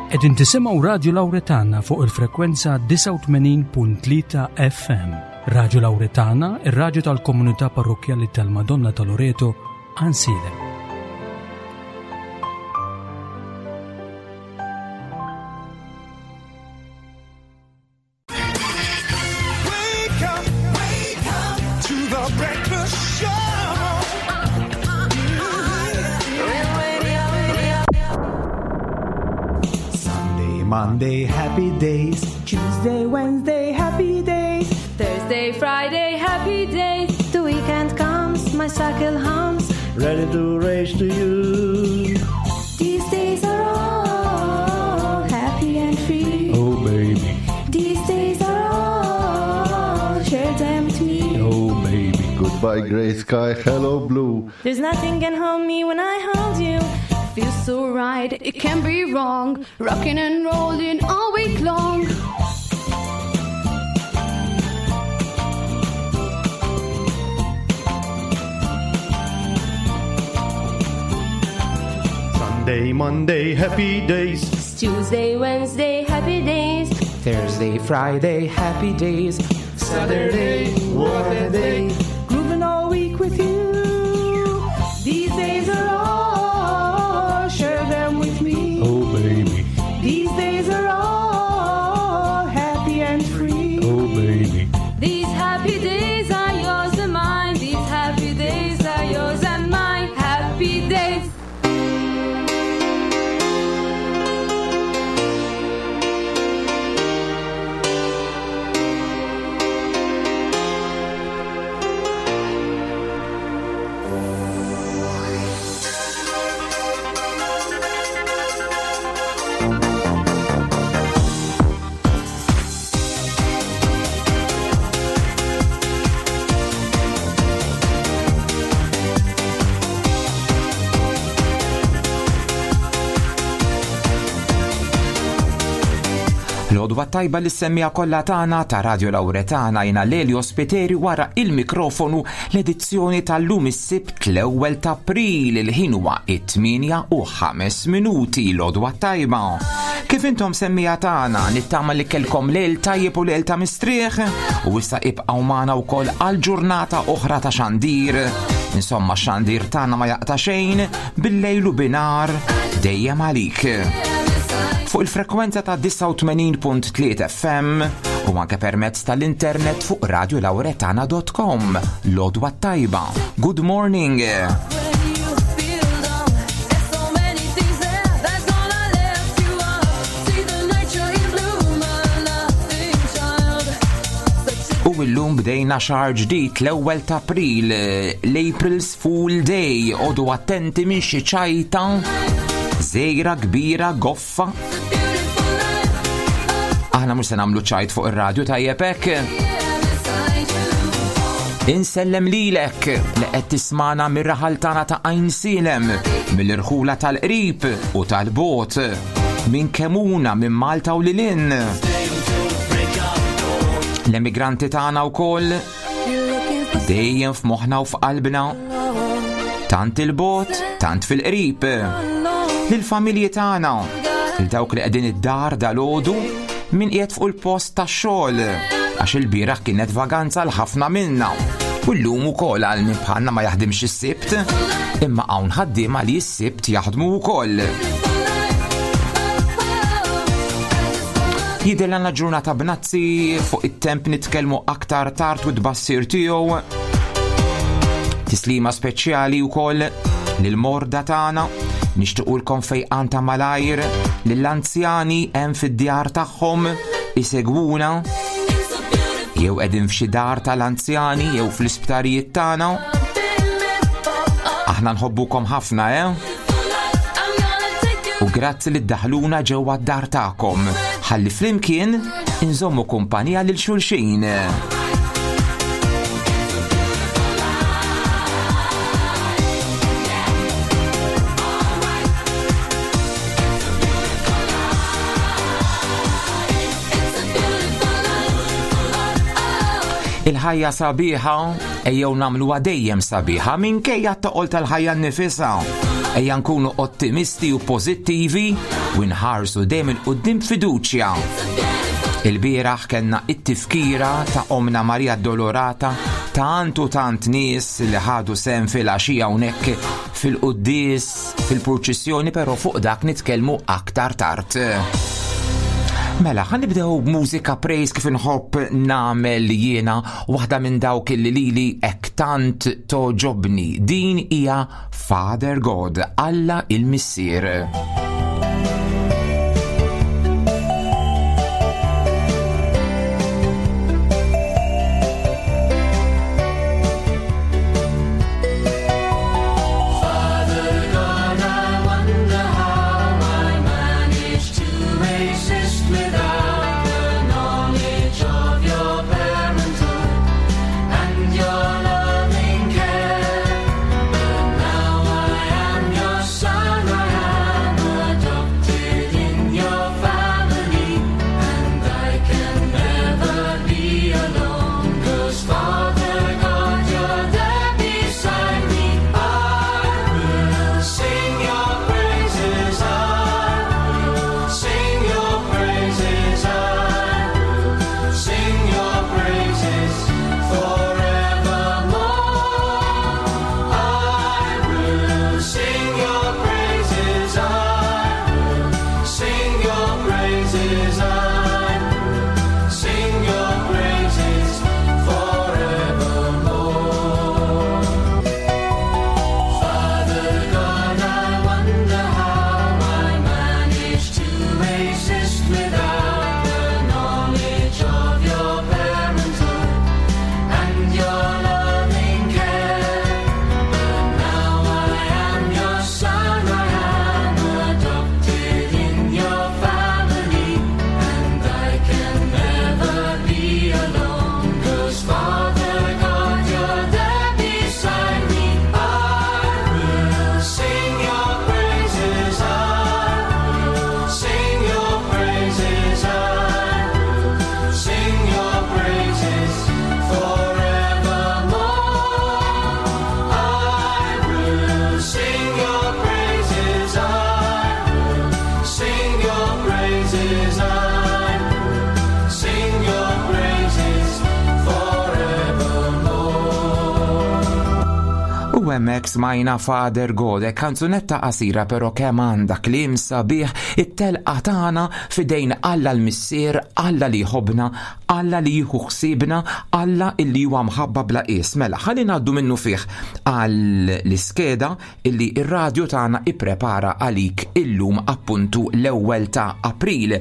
Qegħdin tisimgħu Radju Lawretana fuq il-frekwenza 89.3 FM. Radju Lawretana, ir-radju tal-komunità parrokkjali tal-Madonna ta' Loreto, Għansielem. Wake up, wake up to the breakfast show. Sunday, Monday, happy days. Tuesday, Wednesday, happy days. Thursday, Friday, happy days. The weekend comes, my cycle hums. Ready to race to you. These days are all happy and free. Oh, baby. These days are all, share them with me. Oh, baby. Goodbye, gray sky. Hello, blue. There's nothing can hold me when I hold you. Feels so right, it can't be wrong. Rocking and rolling all week long. Sunday, Monday, happy days. Tuesday, Wednesday, happy days. Thursday, Friday, happy days. Saturday, what a day. Grooving all week with you. These days are all, share them with me. Oh, baby. These days are all happy and free. Oh, baby. These happy days are yours and mine. These happy days are yours and mine. Happy days. L-odwa tajba li semmija kollha tagħna ta' Radio Lauretana jina Lelio Spiteri wara il-mikrofonu l-edizzjoni tal-lum is-Sibt l-ewwel ta' April il-ħin huwa it-8 u 5 minuti l-odwa tajba. Kif intom semmija tagħna nittama li kelkom lejl tajjeb u lejl ta' mistrieħ u issa ibqgħu magħna wkoll għal ġurnata oħra ta' xandir. Insomma, xandir tagħna ma jaqta' xejn bil-lejl u binar dejjem għalik fuq il-frekwenza ta' 89.3 FM u anke permezz tal-internet fuq radiolauretana.com. Lodwa tajba. Good morning. U illum bdejna xahar ġdid l-ewwel ta' April, l-April's Fool Day, odu attenti minn xi ċajta, żejra kbira goffa. Aħna mhux se nagħmlu ċajt fuq ir-radju tajjeb hekk. Insellem lilek li qed tismana mir-raħal tagħna ta' Għajnsielem, mill-irħula tal-qrib u tal-bot, minn Kemuna, minn Malta u lilin. L-emigranti tagħna wkoll dejjem f'moħħna u f'qalbna. Tant il-bot, tant fil-qrib. Lill-familji tagħna, lil dawk li qegħdin id-dar dal-għodu, min qiegħed fuq il-post tax-xogħol, għax il-bieraħ kienet vaganza l ħafna minna. U llum ukoll għal min bħalna ma jaħdimx is-Sibt, imma hawn ħaddiema li s-Sibt jaħdmu wkoll. Jidher għandna ġurnata b'nazzi fuq it-temp nitkellmu aktar tard u tbassir tiegħu. Tislima speċjali wkoll lil-morda tagħna nixtiequlkom fejqan ta' malajr lill-anzjani hemm fid-djar tagħhom isegwuna jew qegħdin f'xi dar tal-anzjani jew fl-isptarijiet tagħna. Aħna nħobbukom ħafna, eh? U grazzi li ddaħluna ġewwa d-dar tagħkom. Ħalli flimkien inżommu kumpanija lil xulxin. Il-ħajja sabiħa ejjew nagħmluha dejjem sabiħa minkejja t-toqol tal-ħajja nnifisha. Ejja nkunu ottimisti u pożittivi u nħarsu dejjem 'il quddiem b'fiduċja. Il-bieraħ kellna it-tifkira ta' Omna Maria Dolorata tant u tant nies li ħadu sehem fil-għaxija hawnhekk fil-quddies, fil-purċissjoni, però fuq dak nitkellmu aktar tard. Mela, ħa nibdew b'mużika praise kif inħobb nagħmel jiena waħda minn dawk li lili hekk tant toġobni. Din hija Father God, Alla il-Missier. U hemmhekk smajna Father God, kanzunetta qasira però kemm għandha kliem sabiħ it-telqa tagħna f'idejn Alla l-Missier, Alla li jħobbna, Alla li jieħu ħsiebna, Alla illi huwa mħabba bla qies. Mela, ħalli ngħaddu minnu fih għall-iskeda illi r-radju tagħna ipprepara għalik illum appuntu l-ewwel ta' April.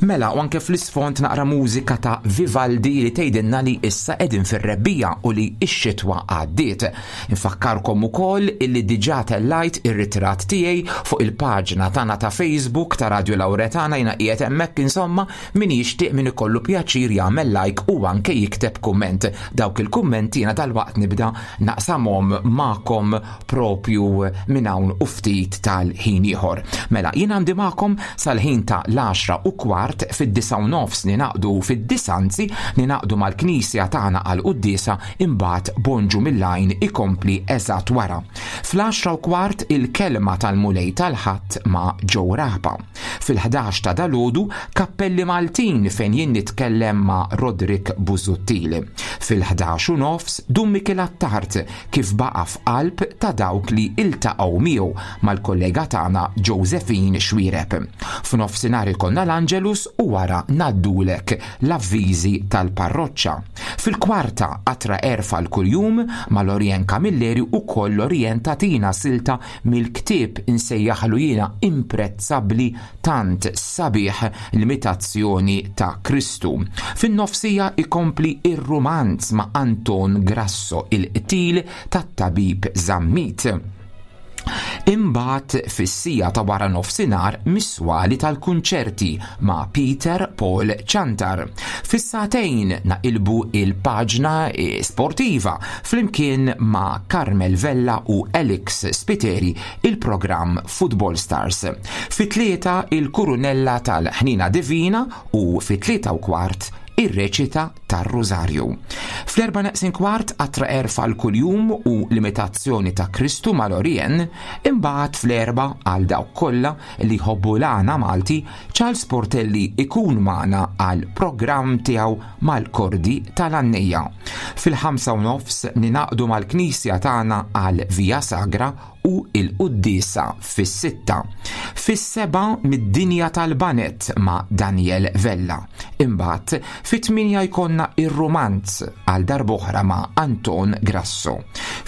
Mela, u anke fl-isfond naqra mużika ta' Vivaldi li tgħidilna li issa qegħdin fir-rebbiegħa u li x-xitwa għaddiet. Infakkarkom ukoll illi diġà tellajt ir-ritratt tiegħi fuq il-paġna tagħna ta' Facebook ta' Radio Lauretana jiena qiegħed hemmhekk insomma min jixtieq min ikollu pjaċir jagħmel like u anke jikteb kumment. Dawk il-kummenti jiena dalwaqt nibda naqsamhom magħkom propju minn hawn u ftit tal-ħin ieħor. Mela, jien għandi magħkom sal-ħin ta' l-10 u kwart fid-9 u nofs ninaqdu fid-disanzi ninaqdu mal-knisja tagħna għal quddiesa imbagħad Bonġu mill-għajn ikompli eżatt wara. Fl-10 u kwart il-kelma tal-Mulej tal-Ħadd ma' Joe Rahba. Fil-11 ta' dalodu Kappelli Maltin fejn jien nitkellem ma' Roderick Busuttil. Fil-11 u nofs Dun Mikiel Attard kif baqa' f'qalb ta' dawk li iltaqgħu miegħu mal-kollega tagħna Josephine Xuereb. F'nofsinhar ikollna l-Angelus u wara ngħaddulek l-avviżi tal-parroċċa. Fil-kwarta qatra għerf għal kuljum ma' Lorien Camilleri ukoll Lorien tagħtina silta mill-ktieb insejjaħlu jiena imprezzabbli tant sabiħ l-imitazzjoni ta' Kristu. Fin-nofsija ikompli ir-rumanz ma' Anton Grasso il-qtil tat-tabib Zammit. Imbagħad fis-siegħa ta' wara nofsinhar mis-swali tal-kunċerti ma' Peter Paul Ciantar. Fis-sagħtejn naqilbu il-paġna sportiva flimkien ma' Carmel Vella u Alex Spiteri il-programm Football Stars. Fit-3 il-Kurunella tal-Ħnina Divina u fit-3:15 ir-reċita tar-Rużarju. Fl-erba' neqsin kwart qatra għerf għal kuljum u l-imitazzjoni ta' Kristu mal-Orien, imbagħad fl-erba' għal dawk kollha li jħobbu l-għana Malti, Charles Portelli ikun magħna għal programm tiegħu mal-Kordi tal-Għannejja. Fil-ħamsa u nofs ninaqdu mal-Knisja tagħna għal Via Sagra u l-quddiesa fis-sitta. Fis-sebgħa mid-dinja tal-baned ma' Daniel Vella. Imbagħad fit-tmienja jkollna ir-rumanz għal darb'oħra ma' Anton Grasso.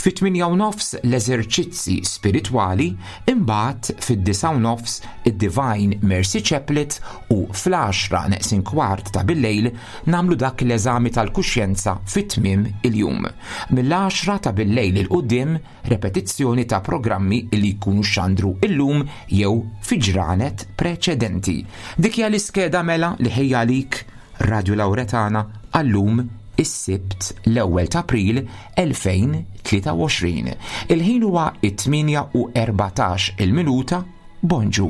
Fit-tmienja u nofs l-eżerċizzi spiritwali, imbagħad fid-disgħa u nofs id-Divine Mercy Chaplet u fl-għaxra neqsin kwart ta' billejl nagħmlu dak l-eżami tal-kuxjenza fi tmiem il-jum. Mill-għaxra ta' billejl 'il quddiem repetizzjoni ta' programmi li jkunu xxandru illum jew fi ġranet preċedenti. Dik hija l-iskeda mela li ħejja għalik Radju Lauretana għal-lum is-Sibt l-ewwel ta' April 2023. Il-ħin huwa it-8 u 14 il-minuta. Bonġu.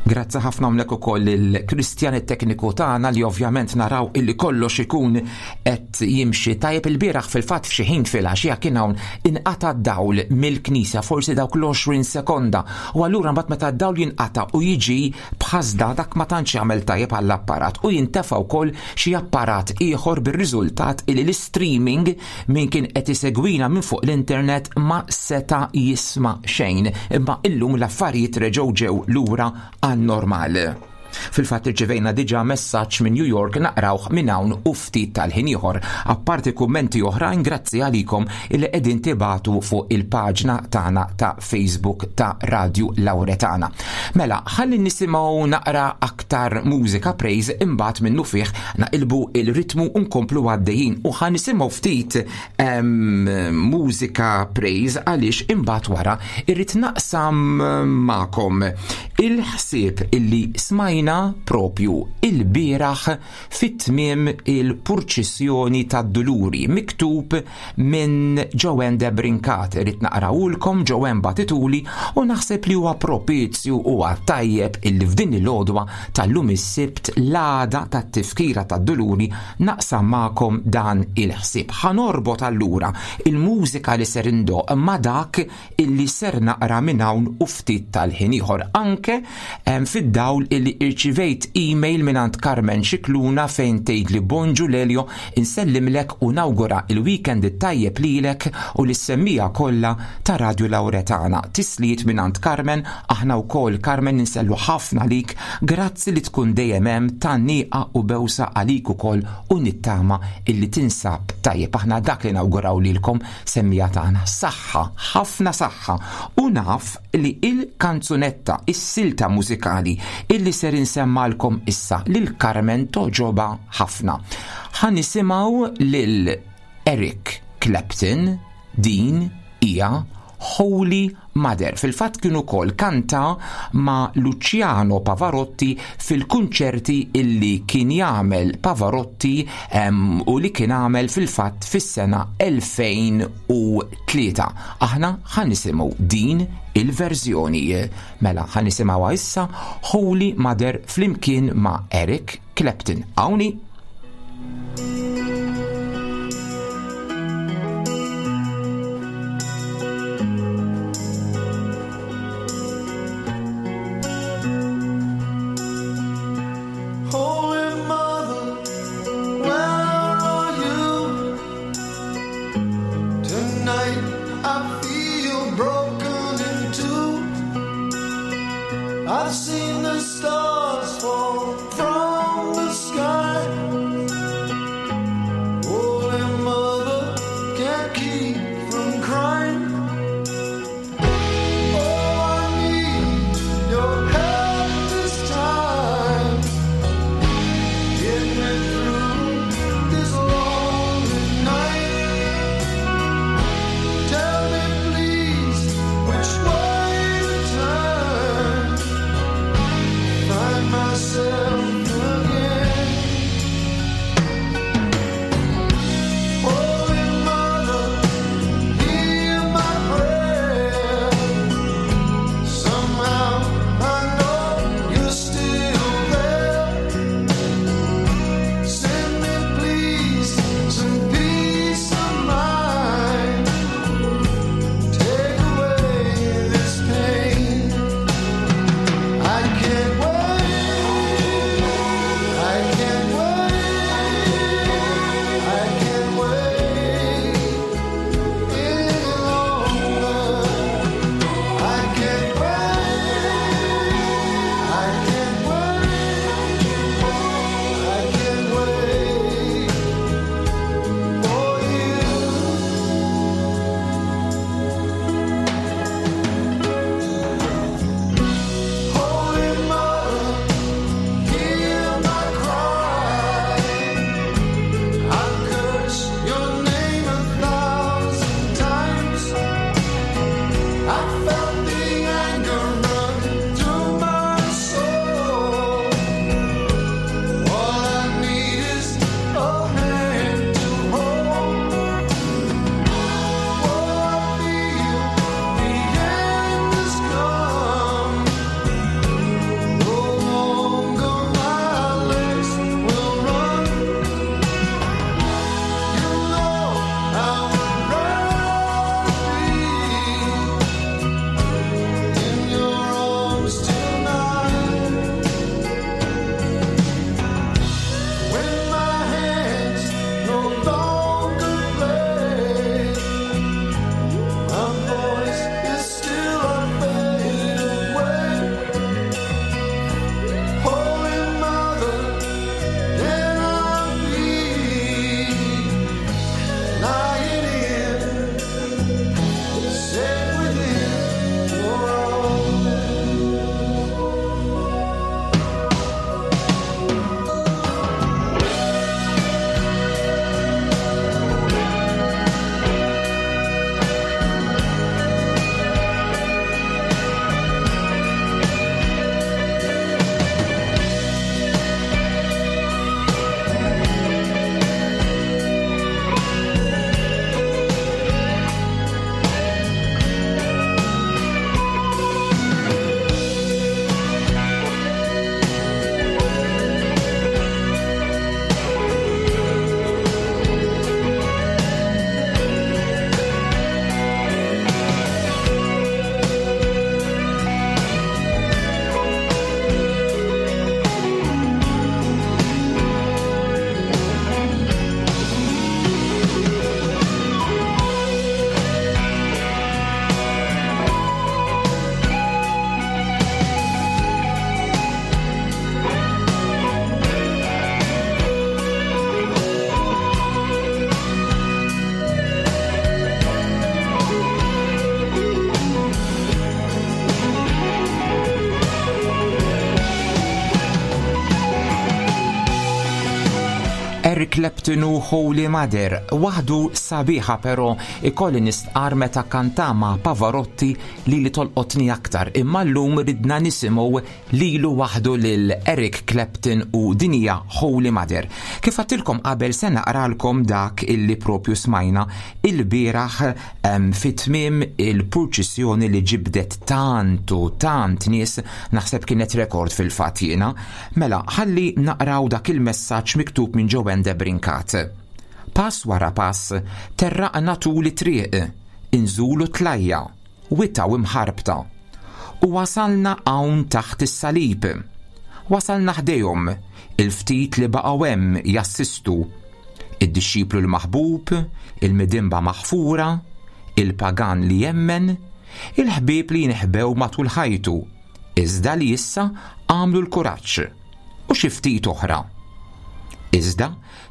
Grazzi ħafna hawnhekk ukoll il-Kristjan it-tekniku tagħna li ovvjament naraw illi kollox ikun qed jimxi tajjeb il-bieraħ fil-fatt f'xi ħin filgħaxija kien hawn inqata' d-dawl mill-knisja forsi dawk l-20 sekonda u allura mbagħad meta d-dawl jinqata' u jiġi b'ħasda dak ma tantx jagħmel tajjeb għall-apparat u jintefa' wkoll xi apparat ieħor bir-riżultat illi l-istreaming min kien qed isegwina minn fuq l-internet ma seta' jisma' xejn imma illum l-affarijiet reġgħu ġew lura għan-normal. Fil-fatt irċivejna diġà messaġġ minn New York naqrawh minn hawn u ftit tal-ħin ieħor. Apparti kummenti oħrajn grazzi għalikom illi qegħdin tibagħtu fuq il-paġna tagħna ta' Facebook ta' Radju Lauretana. Mela, ħalli nisimgħu naqra aktar mużika praise imbagħad minnufih naqilbu il-ritmu u nkomplu għaddejjin u ħa nisimgħu ftit mużika praise għaliex imbagħad wara irrid naqsam magħkom il-ħsieb illi smajna propju il-bieraħ fit-tmiem il-purċissjoni tad-Duluri miktub minn Joanne de Brincat. Irrid naqrawulkom Joanne bagħtituli u naħseb li huwa propizju huwa tajjeb illi f'din il-għodwa tal-lum is-Sibt l-għada tat-tifkira tad-Duluri naqsam magħkom dan il-ħsieb. Ħa norbot allura il-mużika li ser indoqq ma' dak illi ser naqra minn hawn u ftit tal-ħin ieħor anke fid-dawl illi irċivejt email mingħand Carmen Scicluna fejn tgħidli Bonġu Lelio insellimlek u nawgura il-weekend it-tajjeb lilek u lis-semmiegħa kollha ta' Radju Lauretana. Tislijiet mingħand Carmen, aħna wkoll Carmen insellu ħafna lik, grazzi li tkun dejjem hemm tgħanniqa u bewsa għalik ukoll u nittama illi tinsab tajjeb. Aħna dak li nawguraw lilkom Semmiegħa tagħna, saħħa, ħafna saħħa, u naf li il-kanzunetta, is-silta mużikali illi ser insemmalkom issa lil Carmen togħġobha ħafna. Ħa nisimgħu lil Eric Clapton din hija Holy Mother. Fil-fatt kien ukoll kanta ma' Luciano Pavarotti fil-kunċerti illi kien jagħmel Pavarotti u li kien għamel fil-fatt fis-sena 2003. Aħna ħa nisimgħu din il-verżjoni. Mela ħa nisimgħuha issa Holy Mother flimkien ma' Eric Clapton. Hawn hi. I've seen the stars fall from the sky. Eric Clapton u Holy Mother, waħdu sabiħa però ikolli nistqar meta kanta ma' Pavarotti li li tolqotni aktar imma llum ridna nisimgħu lilu waħdu lil Eric Clapton u din hija Holy Mother. Kif għedtilkom qabel se naqralkom dak illi propju smajna ilbieraħ fi tmiem il-purċissjoni li ġibdet tant u tant nies, naħseb kienet rekord fil-fatt jiena. Mela, ħalli naqraw dak il-messaġġ miktub minn Joanne Debrincat. Pass wara pass, terraqna tul it-triq, inżulu tlajja, wita u imħarbta. U wasalna hawn taħt is-salib. Wasalna ħdejhom, il-ftit li baqgħu hemm jassistu. Id-dixxiplu l-maħbub, il-midinba maħfura, il-pagan li jemmen, il-ħbieb li jinħbew matul ħajtu, iżda li issa għamlu l-kuraġġ, u xi ftit oħra. Iżda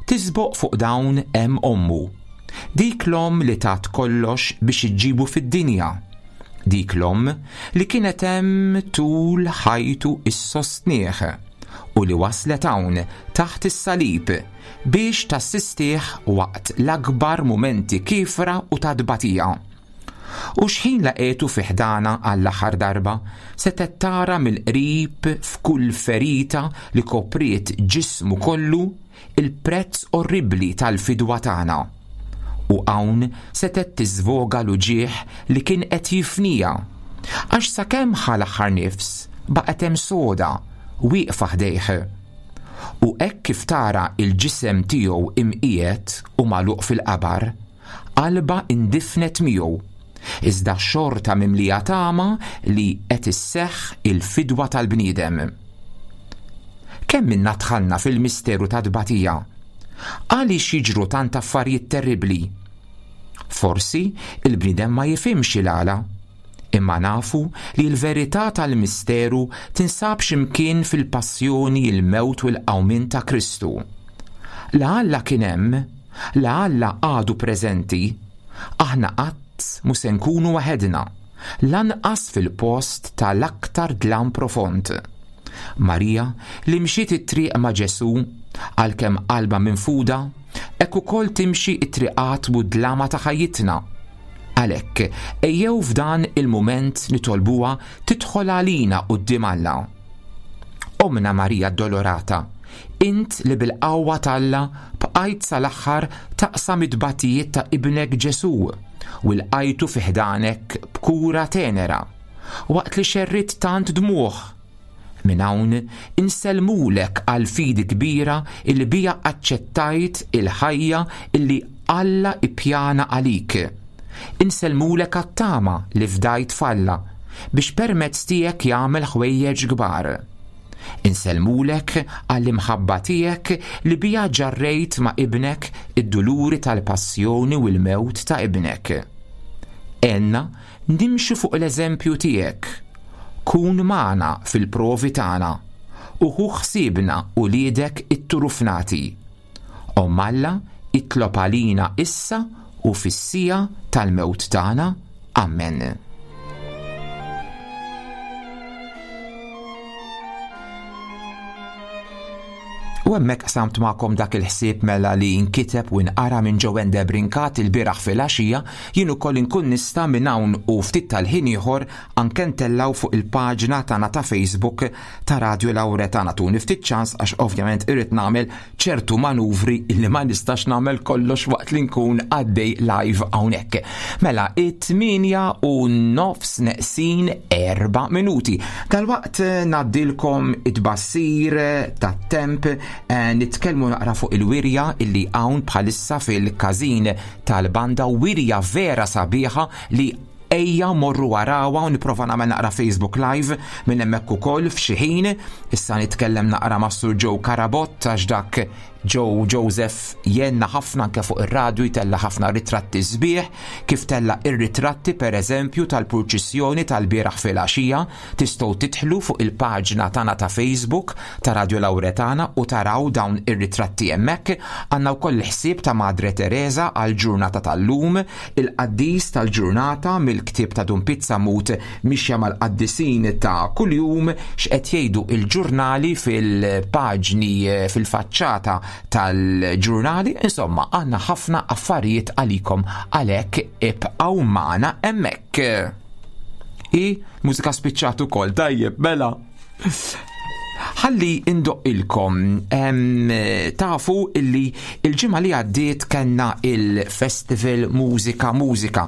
tisboq fuq dawn hemm ommu. Dik l-omm li tat kollox biex iġġibu fid-dinja. Dik l-omm li kienet hemm tul ħajtu issostnih u li waslet hawn taħt is-salib biex tassistih waqt l-akbar mumenti kiefra u ta' tbatija. U xħin laqgħetu fi ħdanha għall-aħħar darba, setgħet tara mill-qrib f'kull ferita li kopriet ġismu kollu il-prezz orribbli tal-fidwa tagħna. U hawn setgħet tiżvoga l-uġigħ li kien qed jifniha, għax sakemm ħa l-aħħar nifs baqgħet hemm soda, wieqfa ħdejh. U hekk kif tara l-ġisem tiegħu imqiegħed u magħluq fil-qabar, Qalbha indifnet miegħu, iżda xorta mimlija tama li qed isseħħ il-fidwa tal-bniedem. Kemm minna dħalna fil-misteru tat-tbatija? Għaliex jiġru tant affarijiet terribbli? Forsi l-bniedem ma jifhimx il-għala. Imma nafu li l-verità tal-misteru tinsab xi mkien fil-passjoni, il-mewt u l-qawmien ta' Kristu. La Alla kien hemm, la Alla għadu preżenti, aħna qatt mhu se nkunu waħedna, lanqas fil-post ta' l-aktar dlam profond. Marija, li mxiet it-triq ma' Ġesù, għalkemm qalbha minfuda, hekk ukoll timxi t-triqat mudlama ta' ħajjitna. Għalhekk, ejjew f'dan il-mument nitolbuha tidħol għalina quddiem Alla. Ommna Marija Addolorata, int li bil-qawwa t'Alla bqajt sal-aħħar taqsam it-tbatijiet ta' Ibnek Ġesù u lqajtu fi ħdanek b'kura tenera, waqt li xerridt tant dmugħ, Minn hawn insellmulek għall-fidi kbira illi biha aċċettajt il-ħajja illi Alla ippjana għalik. Insellmulek għat-tama li fdajt f'Alla biex permezz tiegħek jagħmel ħwejjeġ kbar. Insellmulek għall-imħabba tiegħek li biha ġarrejt ma' Ibnek id-duluri tal-passjoni u l-mewt ta' Ibnek. Għenna Nimxu fuq l-eżempju tiegħek. Kun magħna fil-provi tagħna u ħu ħsiebna uliedek itturufnati. Omm Alla, itlob għalina issa u fis-siegħa tal-mewt tagħna. Ammen. U hemmhekk qsamt magħkom dak il-ħsieb mela li nkiteb u nqara minn Joanne Debrincat ilbieraħ filgħaxija, jien ukoll inkun nista' minn hawn u ftit tal-ħin ieħor anke ntellgħu fuq il-paġna tagħna ta' Facebook ta' Radio Lauretana. Tuni ftit ċans għax ovvjament irrid nagħmel ċertu manuvri li ma nistax nagħmel kollox waqt li nkun għaddej live hawnhekk. Mela, it-8 u nofs neqsin 4 minuti. Dalwaqt eh, ngħaddilkom it-bassir eh, tat-temp eh, nitkellmu naqra fuq il-wirja illi hawn bħalissa fil-każin tal-banda wirja vera sabiħa li ejja morru warawa u niprofa nagħmel naqra Facebook Live minn hemmhekk ukoll f'xi ħin. Issa nitkellem naqra ma' Sur Joe Karabott għax dak Joe Joseph jenna ħafna anke fuq ir-radju jtella' ħafna ritratti sbieħ, kif tella' ir-ritratti pereżempju tal-purċissjoni tal-bieraħ filgħaxija, tistgħu tidħlu fuq il-paġna tagħna ta' Facebook ta' Radio Lauretana u taraw dawn ir-ritratti hemmhekk. Għandna wkoll il-ħsieb ta' Madre Teresa għall-ġurnata tal-lum, il-qaddis tal-ġurnata mill-ktieb ta' Dun Pizza Mut Mixja mal-qaddisin ta' kuljum, x'qed jgħidu l-ġurnali fil-paġni fil-faċċata tal-ġurnali, insomma għandna ħafna affarijiet għalikom għalhekk ibqgħu magħna hemmhekk. I mużika spiċċat ukoll, tajjeb, mela. Ħalli indoqqilkom, tafu illi il-ġimgħa li għaddiet kellna il-Festival Mużika Mużika,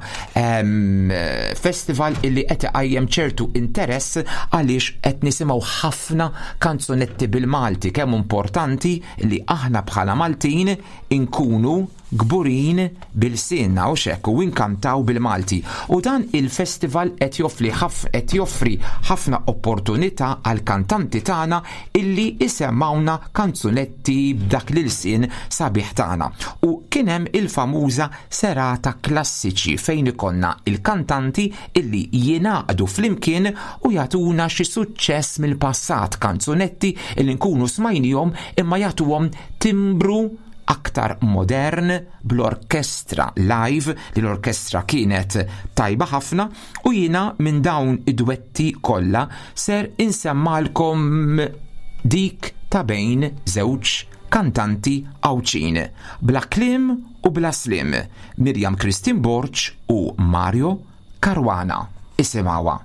festival illi qed iqajjem ċertu interess għaliex qed nisimgħu ħafna kanzunetti bil-Malti, kemm importanti li aħna bħala Maltin inkunu kburin b'ilsienna u x'hekk u inkantaw bil-Malti. U dan il-festival qed joffli qed joffri ħafna opportunità għall-kantanti tagħna illi isemmgħuna kanzunetti b'dak l-ilsien sabiħ tagħna. U kien hemm il-famuża serata klassiċi fejn ikollna il-kantanti illi jingħaqdu flimkien u jagħtuna xi suċċess mill-passat, kanzunetti illi nkunu smajnihom imma jagħtuhom timbru aktar modern bl-orkestra live li l-orkestra kienet tajba ħafna u jiena minn dawn id-dwetti kollha ser insemmalkom dik ta' bejn żewġ kantanti Għawdxin bla kliem u bla slim Miriam Christine Borg u Mario Caruana. Isimgħuha.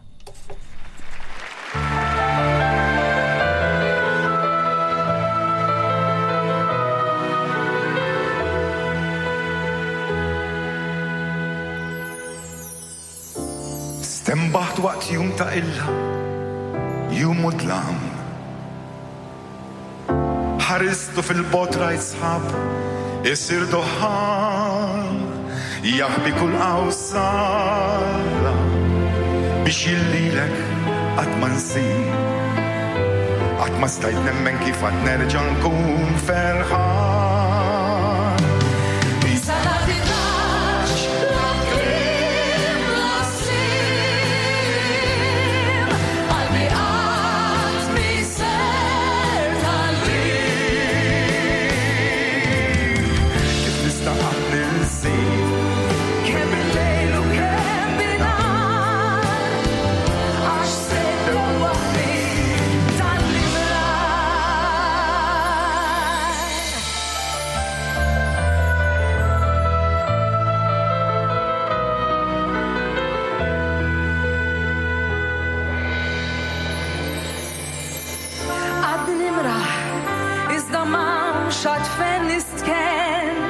Stenbaħt waqt jum ta' illa, jum u dlam. Ħaristu fil-bogħod rajt sħab isir duħħan jaħbi kull qawsalla biex jien lilek qatt ma nsir. Qatt ma stajt nemmen kif għad nerġa' nkun ferħan. Kif nista' qatt ninsik? Kemm bil-lejl u kemm binhar, għax se ddewwaħni dan l-imrar. Għadni nimraħ, iżda m'hawnx għad fejn nistkenn.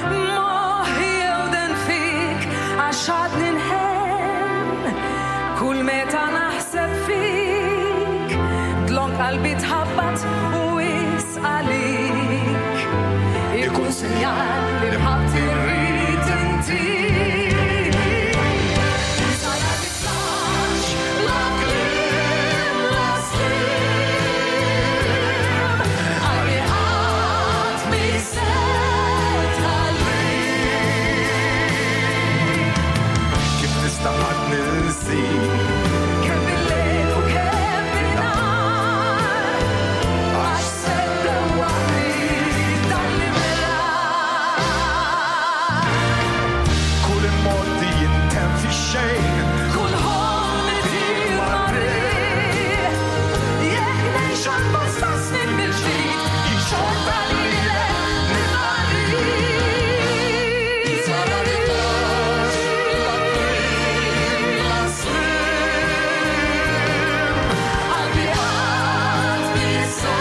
Moħħi jewden fik għax għadni nħenn. Kull meta naħseb fik, dlonk qalbi tħabbat u wisq għalik. Ikun sinjal li mħabbti rrid intik. Kif nista' qatt ninsik? Kemm bil-lejl u kemm bin-nhar, għax se ddewwaħni dan l-imrar. Kull immoddi jintemm fix-xejn. Kull ħolm itir mar-riħ, jekk ngħix għal bosta snin mill-ġdid, xorta lilek nibqa' rrid. Qalbi qatt mi se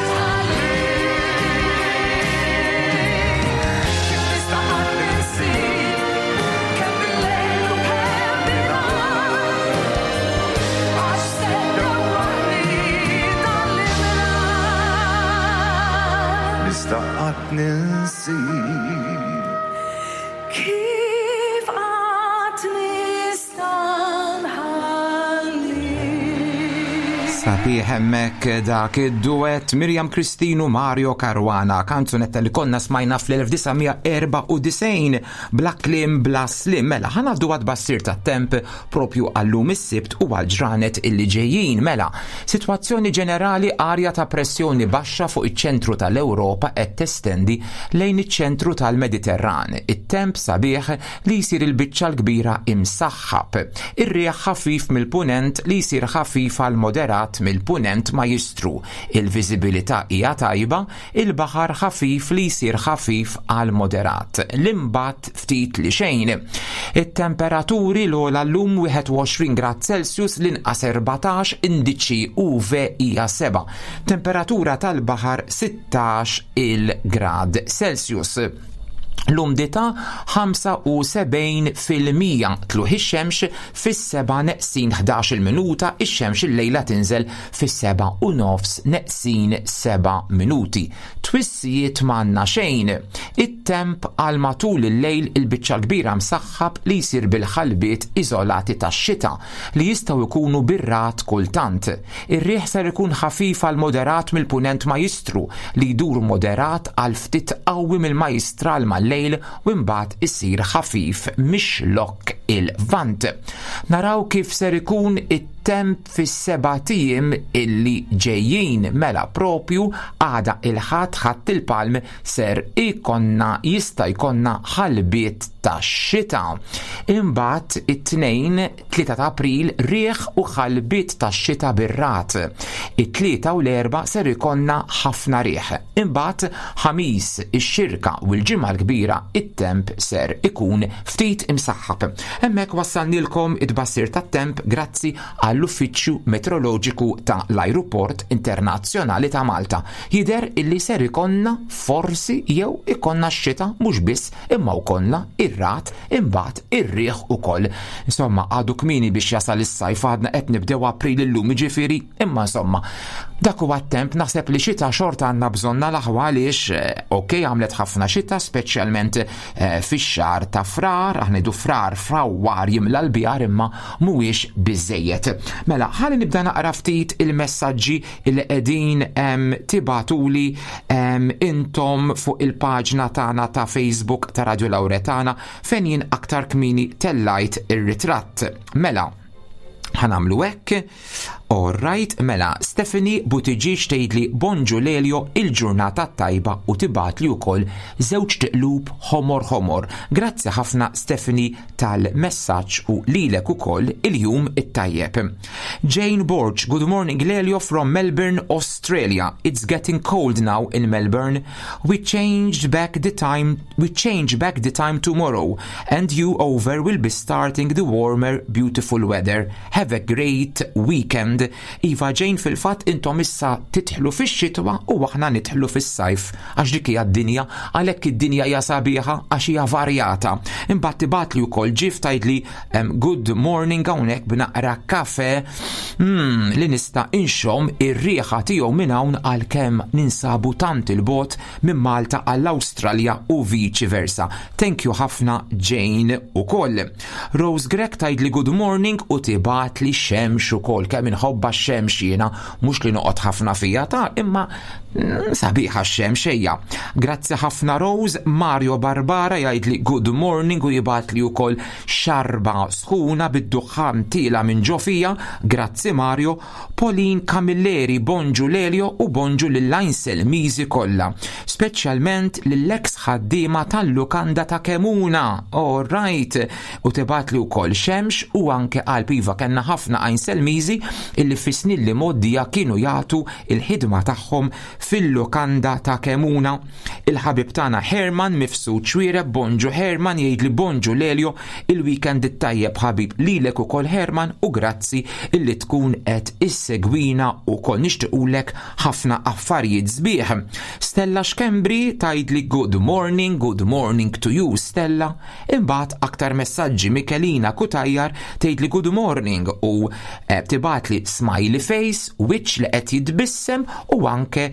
tħallik. Kif nista' qatt ninsik? Kemm bil-lejl u kemm bin-nhar, għax se ddewwaħni dan l-imrar. Nista' qatt ninsik? Kif qatt nista' nħallik? Sabiħ hemmhekk dak id-duett Miriam Christine u Mario Caruana, kanzunetta li konna smajna fl-1994 bla kliem bla slim. Mela, ħa ngħaddu għat-tbassir tat-temp propju għallum is-Sibt u għal-ġranet illi ġejjin. Mela, sitwazzjoni ġenerali arja ta' pressjoni baxxa fuq iċ-ċentru tal-Ewropa qed testendi lejn iċ-ċentru tal-Mediterran. It-temp sabiħ li jsir il-biċċa l-kbira imsaħħab. Ir-riħ ħafif mill-punent li jsir ħafif għal moderat moderat mill-punent majjistru. Il-viżibilità hija tajba, il-baħar ħafif li jsir ħafif għal moderat. L-imbatt ftit li xejn. It-temperaturi l-ogħla llum 21 grad Celsius l-inqas 14 indiċi UV hija 7. Temperatura tal-baħar 16 il-grad Celsius. L-umdità 75% tlugħ ix-xemx fis-7 neqsin 11-il minuta, ix-xemx illejla tinżel fis-7 u nofs neqsin 7 minuti. Twissijiet m'għandna xejn. It-temp għal matul il-lejl il-biċċa l-kbira msaħħab li jsir bil-ħalbiet iżolati tax-xita li jistgħu jkunu bir-ragħad kultant. Ir-riħ ser ikun ħafif għal moderat mill-Punent Majjistru li jdur moderat għal ftit qawwi mill-Majjistral mal-lejl u imbagħad isir ħafif mix-Xlokk il-Lvant. Naraw kif ser ikun it-temp fis-sebat ijiem illi ġejjin mela propju għada il-Ħadd Ħadd il-Palm ser ikonna jista' jkollna ħalbiet tax-xita. Imbagħad it-Tnejn 3 ta' April riħ u ħalbiet tax-xita bir-ragħad. It-Tlieta u l-Erbgħa ser ikollna ħafna riħ. Imbagħad Ħamis, ix-Xirka u l-Ġimgħa l-Kbira it-temp ser ikun ftit imsaħħab. Hemmhekk wassalnielkom it-tbassir tat-temp grazzi għall-Uffiċċju Metroloġiku ta' l-Ajruport Internazzjonali ta' Malta. Jidher illi ser ikollna forsi jew ikollna x-xita mhux biss imma wkollna ir-ragħad imbagħad ir-riħ ukoll. Insomma, għadu kmieni biex jasal is-sajf għadna qed nibdew April illum jiġifieri, imma insomma, dak huwa t-temp naħseb li xita xorta għandna bżonna l-aħwa għaliex eh, ok għamlet ħafna xita speċjalment eh, fix-xahar ta' frar, aħna ngħidu frar frawwar jimla l-bjar imma mhuwiex biżejjed. Mela, ħalli nibda naqra ftit il-messaġġi li qegħdin tibatuli intom fuq il-paġna tagħna ta' Facebook ta' Radio Lauretana fejn jien aktar kmini tellajt ir-ritratt. Mela, ħanamlu hekk. All right, mela, Stephanie Buttigieg tgħidli bonġu Lelio il-ġurnata tajba u tibatli wkoll żewġ tiqlub ħomor ħomor. Grazzi ħafna Stephanie tal-messaġġ u lilek ukoll il-jum it-tajjeb. Jane Borg, good morning Lelio from Melbourne, Australia. It's getting cold now in Melbourne. We changed back the time we change back the time tomorrow and you over will be starting the warmer beautiful weather. Have a great weekend. Iva Jane fil-fatt intom issa titħlu fix-xitwa u aħna nidħlu fis-sajf għax dik hija d-dinja għalhekk id-dinja hija sabiħa għax hija varjata. Imbagħad tibgħatli wkoll ġif tgħidli good morning hawnhekk b'naqra kafe mm, li nista' inxomm ir-riħa tiegħu minn hawn għalkemm ninsabu tant il-bot minn Malta għall-Awstralja u viċi versa. Thank you ħafna Jane ukoll. Rose Grech tgħidli good morning u tibgħatli xemx ukoll kemm inħobbha x-xemx jiena mhux li noqgħod ħafna fija ta' imma mm, sabiħa x-xemx ejja. Grazzi ħafna Rose, Mario Barbara jgħidli good morning u jibgħatli wkoll xarba sħuna bid-duħħan tiela minn ġo fija, grazzi Mario, Pauline Camilleri bonġu Lelio u bonġu lill-Ainsel Miżi kollha, speċjalment lill-eks ħaddiema tal-lukanda ta' Kemuna. All right. U tibgħatli wkoll xemx u anke qalb iva kellna ħafna Ainsel Miżi illi fis-snin li mgħoddija kienu jagħtu il-ħidma tagħhom fil-lukanda ta' Kemuna. Il-ħabib tagħna Herman Mifsud Xuereb bonġu Herman jgħidli bonġu Lelio il-weekend it-tajjeb ħabib lilek ukoll Herman u grazzi illi tkun qed issegwina ukoll nixtiequlek ħafna affarijiet sbieħ. Stella Schembri tgħidli good morning, good morning to you Stella. Imbagħad aktar messaġġi Michelina Cutajar tgħidli good morning u eh, tibgħatli smiley face, wiċċ li qed jitbissem u anke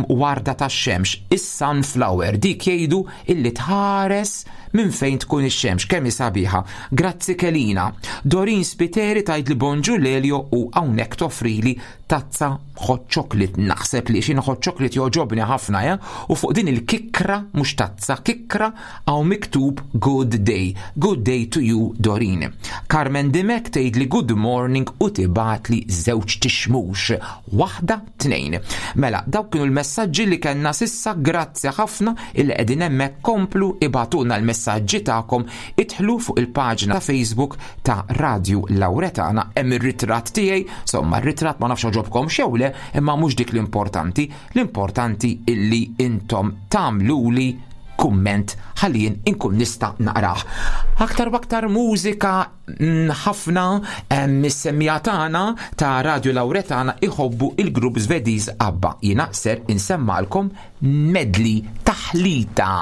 warda tax-xemx, is-sunflower, dik jgħidu illi tħares minn fejn tkun ix-xemx, kemm hi sabiħa. Grazzi Kelina. Dorin Spiteri tgħidli bonġu Lelio u hawnhekk toffrili tazza hot chocolate. Naħseb li xi hot chocolate jogħġobni ħafna, eh? U fuq din il-kikra, mhux tazza, kikra hawn miktub good day. Good day to you, Dorin. Carmen Dimek tgħidli good morning u tibgħatli żewġ tixmux. Waħda 2. Mela, dawk kienu l-messaġġi li kellna sissa, grazzi ħafna illi qegħdin hemmhekk komplu ibagħtulna l-messaġġi tagħkom, idħlu fuq il-paġna ta' Facebook ta' Radju Lauretana, hemm ir-ritratt tiegħi, insomma r-ritratt ma nafx togħġobkomx jew le, imma mhux dik l-importanti, l-importanti illi intom tagħmluli kumment ħalli jien inkun nista' naqrah. Aktar u aktar mużika mm, ħafna mis-semmija tagħna ta' Radio Lauretana iħobbu il-grupp Svediż ABBA. Jiena ser insemmalkom medley taħlita.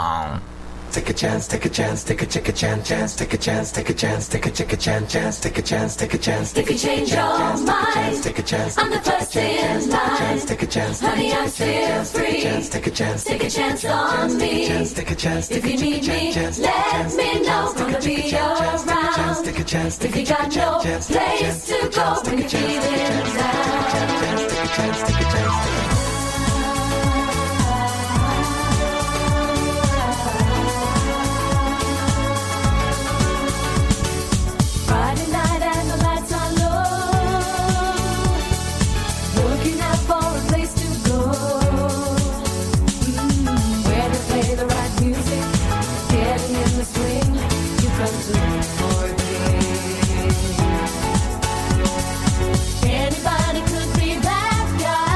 Take a chance, take a chance, take a take a chance, chance, take a chance, take a chance, take a take a chance, chance, take a chance, take a chance, If you change your mind, take a chance, I'm the first in line. take a chance, Honey, I'm still free. take a chance, Take a chance on me. take a chance, If you need me, let me know. Gonna be around. take a chance, If you got no place to go when you're feeling down. take a chance, take a chance, take a Friday night and the lights are low. Looking out for a place to go. Where they play the right music, getting in the swing. You come to look for a king. Anybody could be that guy.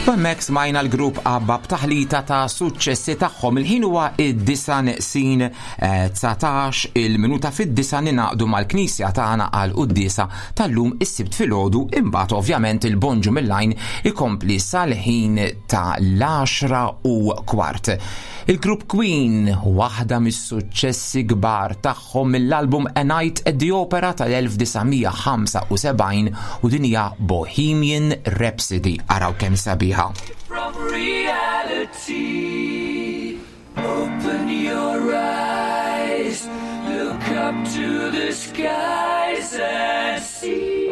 U hemmhekk smajna l-grupp ABBA b'taħlita ta' suċċessi tagħhom. Il-ħin huwa id-disa neqsin 19 eh, il-minuta fid-disa ninaqdu mal-knisja tagħna għal quddiesa tal-lum is-Sibt filgħodu imbagħad ovvjament il-bonġu mill-lajn ikompli sal-ħin ta' l-10 u kwart. Il-grupp Queen, waħda mis-suċċessi kbar tagħhom mill-album A Night at the Opera tal-1975 u din hija Bohemian Rhapsody. Araw kemm sabiħa. From reality, open your eyes, look up to the skies and see.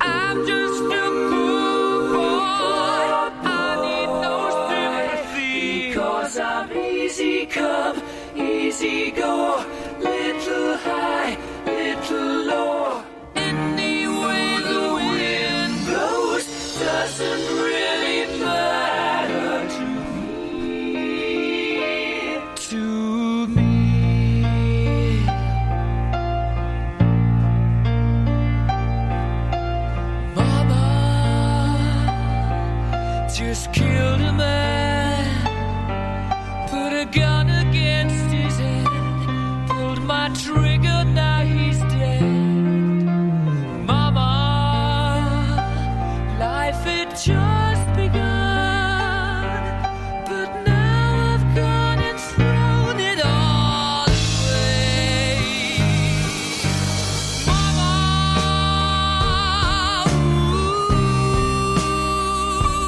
I'm just a poor boy, I need no sympathy, because I'm easy come, easy go, little high, little low. Any way the wind blows doesn't really matter to me. To me. Mama just killed a man, put a gun against his head, pulled my trigger, now he's dead. Mama, life had just begun, but now I've gone and thrown it all away. Mama,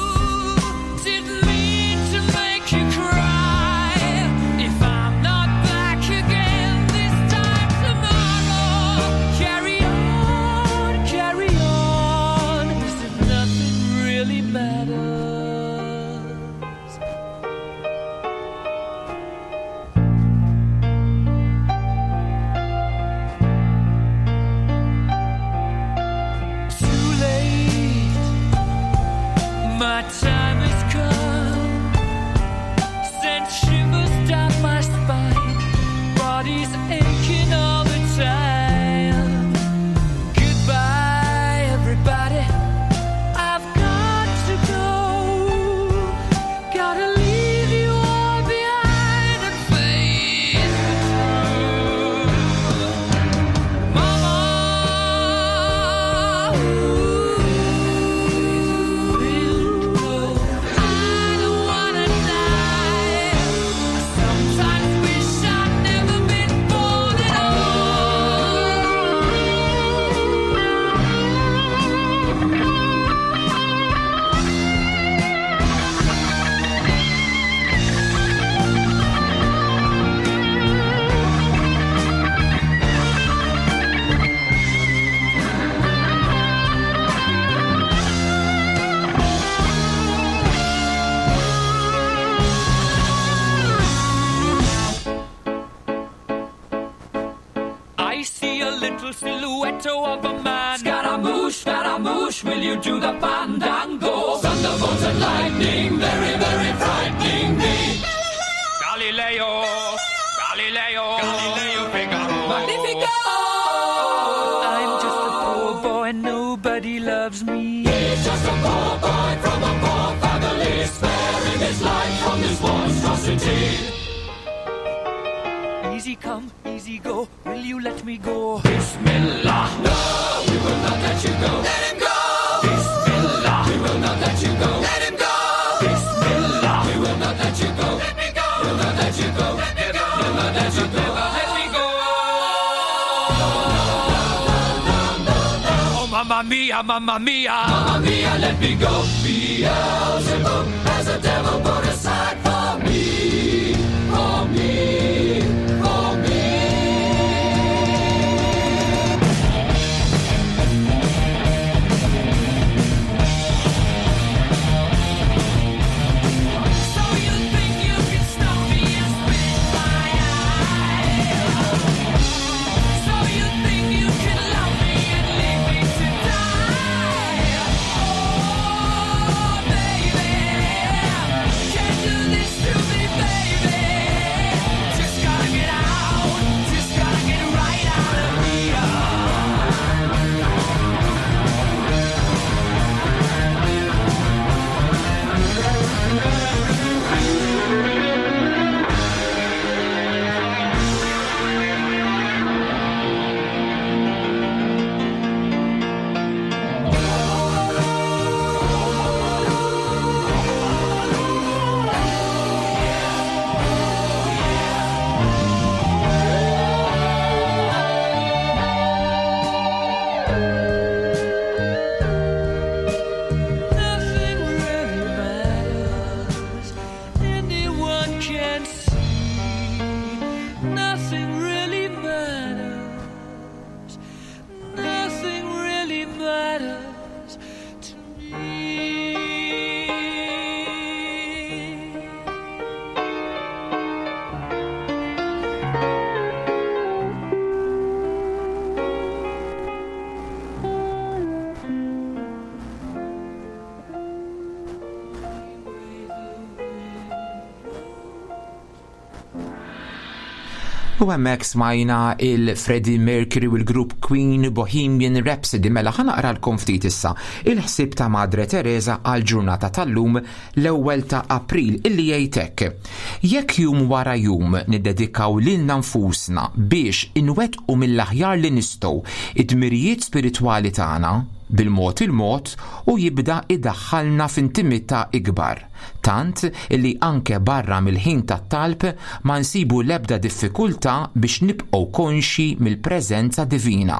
ooh, didn't mean to make you cry. If I'm not back again this time tomorrow, carry on, carry on, as if nothing really matters. Too late, my time has come. Sent shivers down my spine, body's aching all the time. Goodbye, everybody. I've got to go. Gotta leave you all behind and face the truth. Mama, ooh, I don't wanna die. I sometimes wish I'd never been born at all. I see a little silhouette of a man. Scaramouche, Scaramouche, will you do the fandango? Thunderbolts and lightning, very, very frightening me. Galileo, Galileo, Galileo Figaro. Magnifico! I'm just a poor boy, nobody loves me. He's just a poor boy from a poor family, sparing his life from this monstrosity. Easy come, easy go, will you let me go? Bismillah. No, we will not let you go. Let him go. Bismillah. We will not let you go. Let him go. Bismillah. We will not let you go. Let me go. We'll not let you go. Let me go. We'll not let you go. Let me go. Oh, mamma mia, mamma mia. Mamma mia, let me go. Beelzebub has a devil put aside for me. For me. For me. So you think you can stop me and spit in my eyes? So you think you can love me and leave me to die? Oh, baby, can't do this to me, baby. U hemmhekk smajna il-Freddie Mercury u l-grupp Queen Bohemian Rhapsody mela ħa naqralkom ftit issa il-ħsieb ta' Madre Teresa għal ġurnata tal-lum l-ewwel ta' April illi jgħid hekk. Jekk jum wara jum niddedikaw lilna nfusna biex inwettqu mill-aħjar li nistgħu id-dmirijiet spiritwali tagħna, bil-mod il-mod u jibda idaħħalna f'intimità ikbar. Tant illi anke barra mill-ħin tat-talb ma nsibu l-ebda diffikultà biex nibqgħu konxji mill-preżenza divina.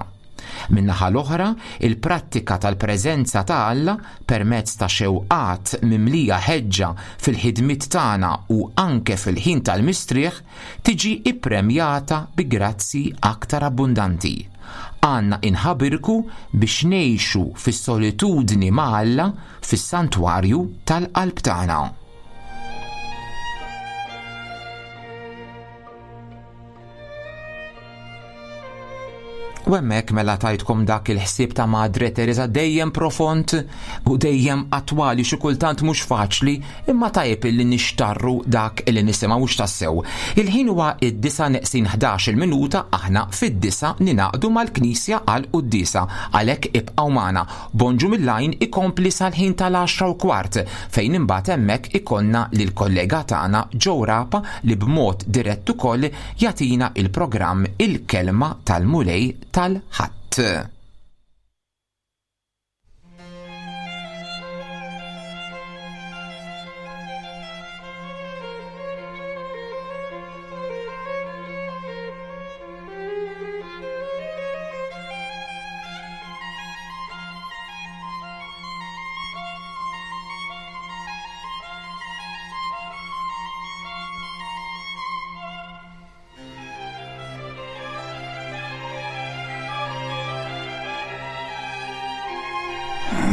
Min-naħa l-oħra, il-prattika tal-preżenza ta' Alla permezz ta' xewqat mimlija ħeġġa fil-ħidmiet tagħna u anke fil-ħin tal-mistrieħ tiġi ppremjata bi grazzji aktar abbundanti. Għandna inħabirku biex ngħixu fis-solitudni ma' Alla fis-santwarju tal-qalb tagħna. U hemmhekk mela tajtkom dak il-ħsieb ta' Madre Teresa dejjem profond u dejjem attwali xi kultant mhux faċli imma tajjeb illi nixtarru dak illi nisimgħu mhux tassew. Il-ħin huwa id-disa neqsin 11 minuta aħna fid-disa ninaqdu mal-Knisja għal quddiesa għalhekk ibqgħu magħna. Bonġu mill-għajn ikompli sal-ħin tal-10:15 fejn imbagħad hemmhekk ikollna lill-kollega tagħna Joe Rapa li b'mod dirett ukoll jagħtina il-programm Il-Kelma tal-Mulej tal-Ħadd.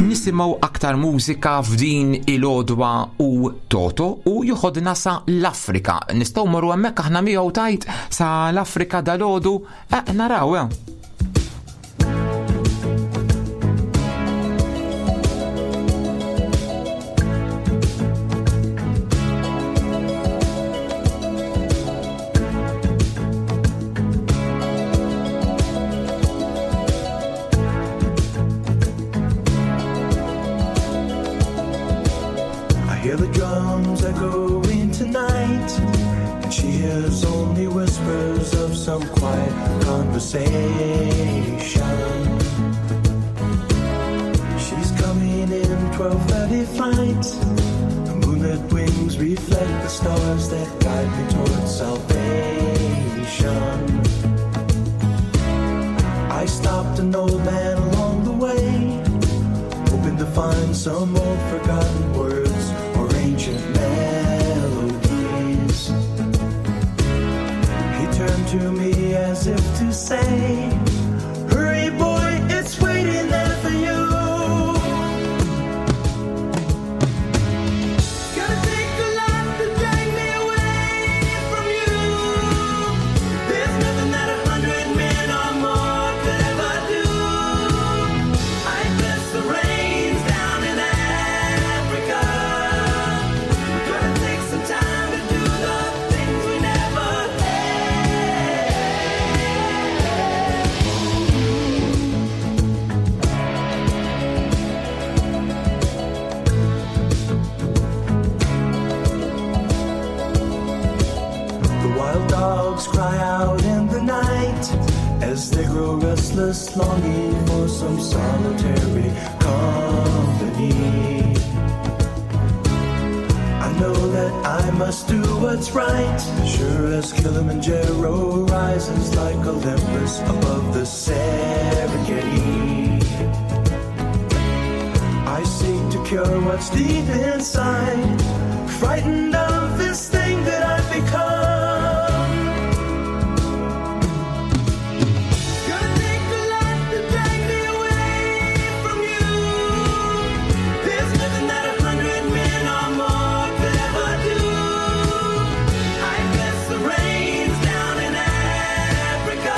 Nisimgħu aktar mużika f'din il-għodwa u Toto u joħodna sa l-Afrika. Nistgħu morru hemmhekk aħna miegħu tajt sa l-Afrika dal-għodu eh, naraw. Eh. I hear the drums echoing tonight, and she hears only whispers of some quiet conversation. She's coming in 12:30 flight. The moonlit wings reflect the stars that guide me towards salvation. I stopped an old man along the way, hoping to find some old forgotten words or ancient melodies. He turned to me as if to say, Hurry, boy, it's waiting there for you. Gotta take a lot to drag me away from you. There's nothing that 100 men or more could ever do. I bless the rains down in Africa. We're gonna take some time to do the things we never had. The wild dogs cry out in the night as they grow restless, longing for some solitary company. I know that I must do what's right, sure as Kilimanjaro rises like Olympus above the Serengeti. I seek to cure what's deep inside, frightened of this thing that I've become. Gonna take a lot to drag me away from you. There's nothing that 100 men or more could ever do. I bless the rains down in Africa.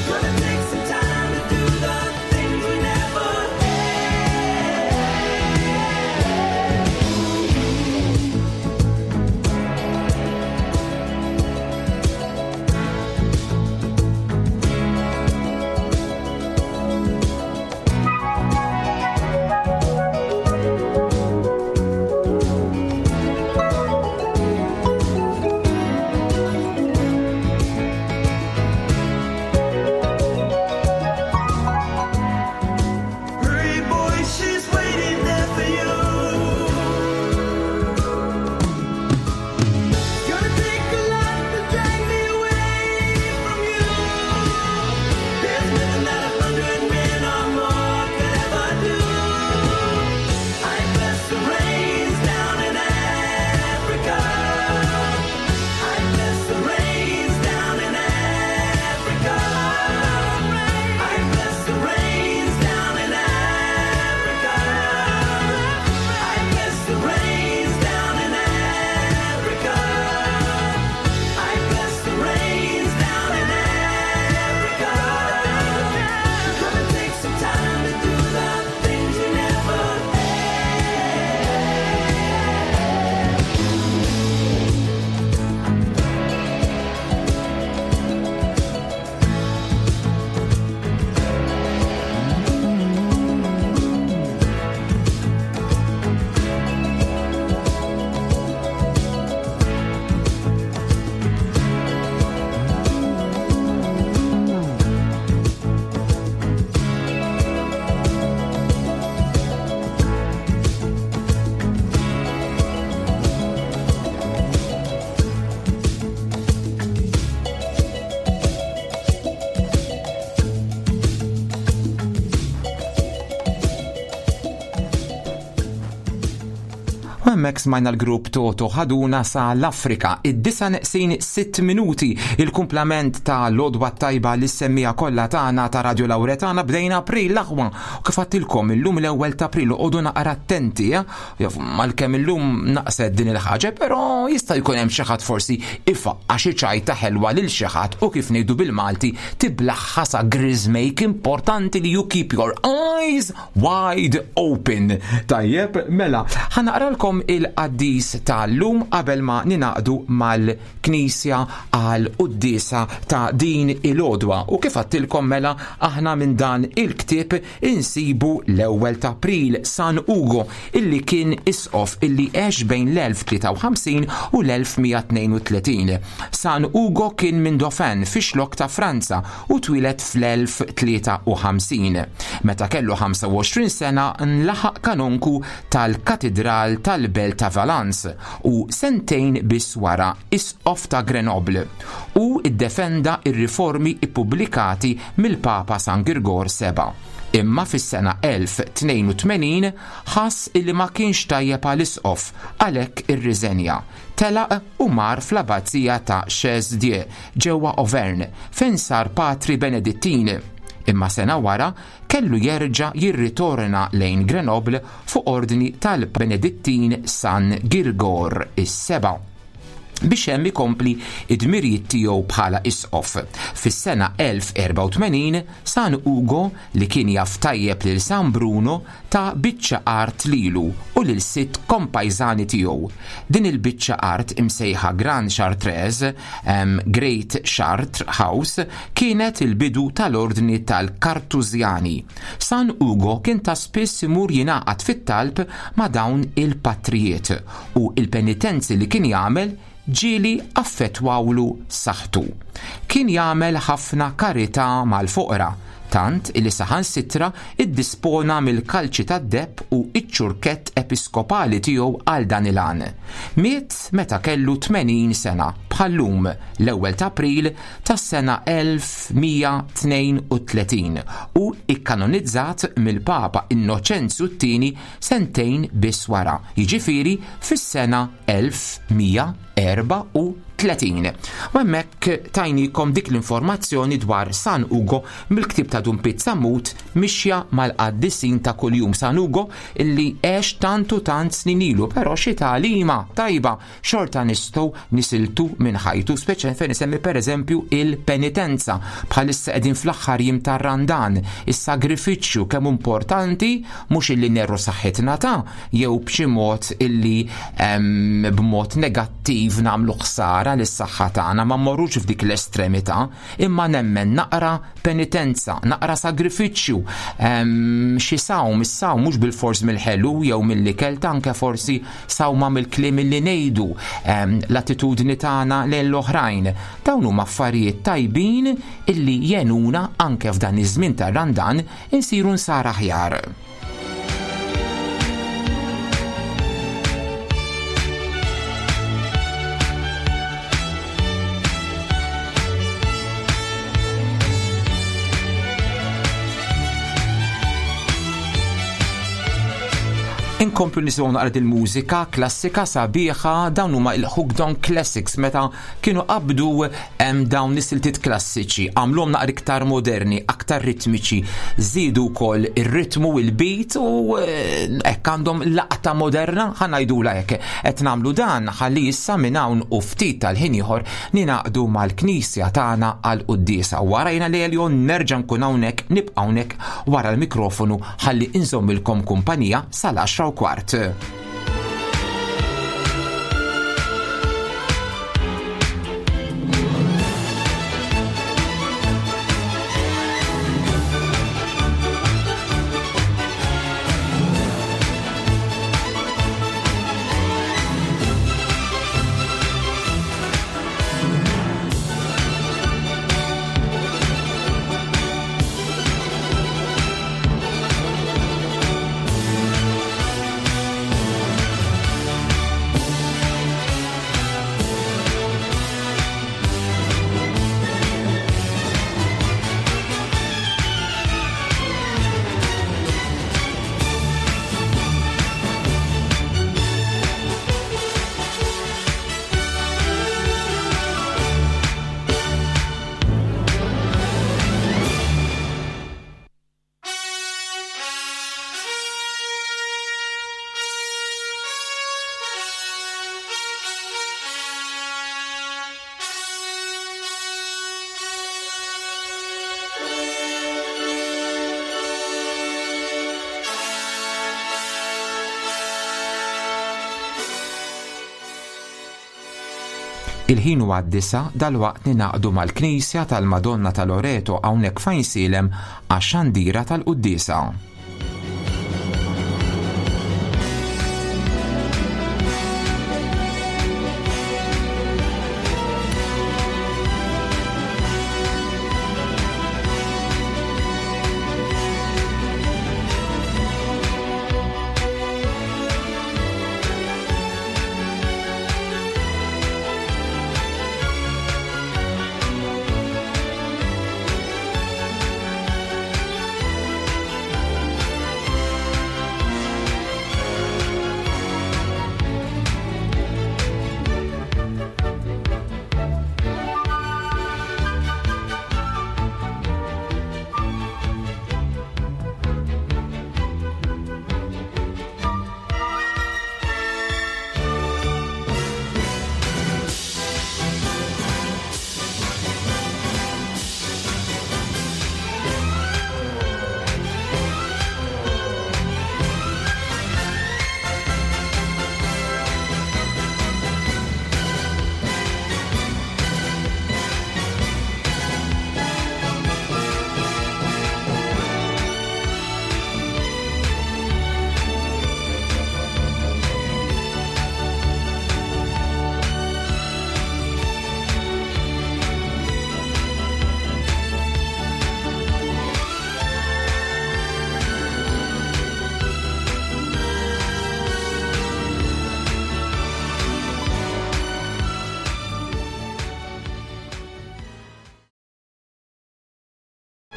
We're gonna take some time to do the things we never had. U hemmhekk smajna l-grupp Toto ħaduna sa l-Afrika, id-disa neqsin 6 minuti, il-kumplament ta' l-odwa tajba li semmija kollha tagħna ta' Radio Lauretana bdejna April l-aħwa. U kif għattilkom illum l-ewwel ta' April oqogħdu naqra attenti, eh? Jaf, malkemm illum naqset din il-ħaġa, però jista' jkun hemm xi ħadd forsi ifaqqa' xi ċajta ħelwa lil xi ħadd u kif ngħidu bil-Malti tiblaħħa sa griżmejk importanti li you keep your eyes wide open. Tajjeb, mela, ħanaqralkom il-qaddis tal-lum qabel ma ninaqdu mal-Knisja għal quddiesa ta' din il-għodwa. U kif għattilkom mela aħna minn dan il-ktieb insibu l-ewwel ta' April San Ugo illi kien isqof illi għex bejn l-1053 u l-1132. San Ugo kien minn Dauphin fix-xlokk ta' Franza u twieled fl-1053. Meta kellu 25 sena nlaħaq kanonku tal-Katidral tal-Belt ta' Valence u sentejn biss wara isqof ta' Grenoble u ddefenda r-riformi ppubblikati mill-Papa San Girgor Seba'. Imma fis-sena 1082 ħass illi ma kienx tajjeb għal isqof, għalhekk irriżenja. Telaq u mar fl-abbazija ta' Chaise-Dieu ġewwa Auvergne fejn sar patri Benedittin. Imma sena wara kellu jerġa' jirritorna lejn Grenoble fuq ordni tal-Benedittin San Girgor is-Seba' biex hemm ikompli d-dmirijiet tiegħu bħala isqof. Fis-sena 1084, San Ugo, li kien jaf tajjeb lil San Bruno, ta biċċa art lilu u lil sitt kompajżani tiegħu. Din il-biċċa art imsejħa Grand Chartreuse, Great Chartres House, kienet il-bidu tal-Ordni tal-Kartużjani. San Ugo kien ta' spiss imur jingħaqad fit-talb ma' dawn il-patrijiet u l-penitenzi li kien jagħmel ġieli affettwawlu saħħtu. Kien jagħmel ħafna karità mal-foqra, tant illi saħansitra ddispona mill-kalċi tad-deheb u ċ-ċurkett episkopali tiegħu għal dan il-għan. Miet meta kellu 80 sena, bħal-lum, l-ewwel ta' April tas-sena 1132 u kkanonizzat mill-Papa Innoċenzju t-Tieni sentejn biss wara, jiġifieri fis-sena 1134. U hemmhekk tajnikom dik l-informazzjoni dwar San Ugo mill-ktieb ta' Dun Piet Sammut Mixja mal-Qaddisin ta' Kuljum. San Ugo illi għex tant u tant snin ilu, però xi tagħlima tajba xorta nistgħu nisiltu minn ħajtu, speċjalment fejn isemmi pereżempju il-penitenza. Bħalissa qegħdin fl-aħħar jiem tar-Randan, is-sagrifiċċju kemm hu importanti mhux illi nerru saħħitna ta' jew b'xi mod illi b'mod negattiv nagħmlu ħsara lis-saħħa tagħna, ma mmorrux f'dik l-estremità, imma nemmen naqra penitenza, naqra sagrifiċċju, xi sawm, is-sawm mhux bilfors mill-ħelu jew mill-ikel, ta' anke forsi sawma mill-kliem illi ngħidu, l-attitudni tagħna lejn l-oħrajn. Dawn huma affarijiet tajbin illi jgħinuna anke f'dan iż-żmien tar-Randan insiru nsara aħjar. Inkomplu nisimgħu naqra il-mużika klassika sabiħa dawn huma il-Hooked on Classics meta kienu qabdu dawn is-siltiet klassiċi, għamluhom naqra iktar moderni, aktar ritmiċi, żiedu wkoll ir-ritmu, il-beat u eh, hekk għandhom laqta moderna, ħa ngħidula hekk. Qed nagħmlu dan ħalli issa minn hawn u ftit tal-ħin ieħor ninaqdu mal-knisja tagħna għal quddiesa. Warajna li Eljon nerġa' nkun hawnhekk, nibqa' hawnhekk wara l-mikrofonu ħalli inżommilkom kumpanija sal-10 u kwart. Il-ħin huwa d-disgħa, dalwaqt ningħaqdu mal-Knisja tal-Madonna ta' Loreto hawnhekk f'Għajnsielem għax-xandira tal-quddiesa.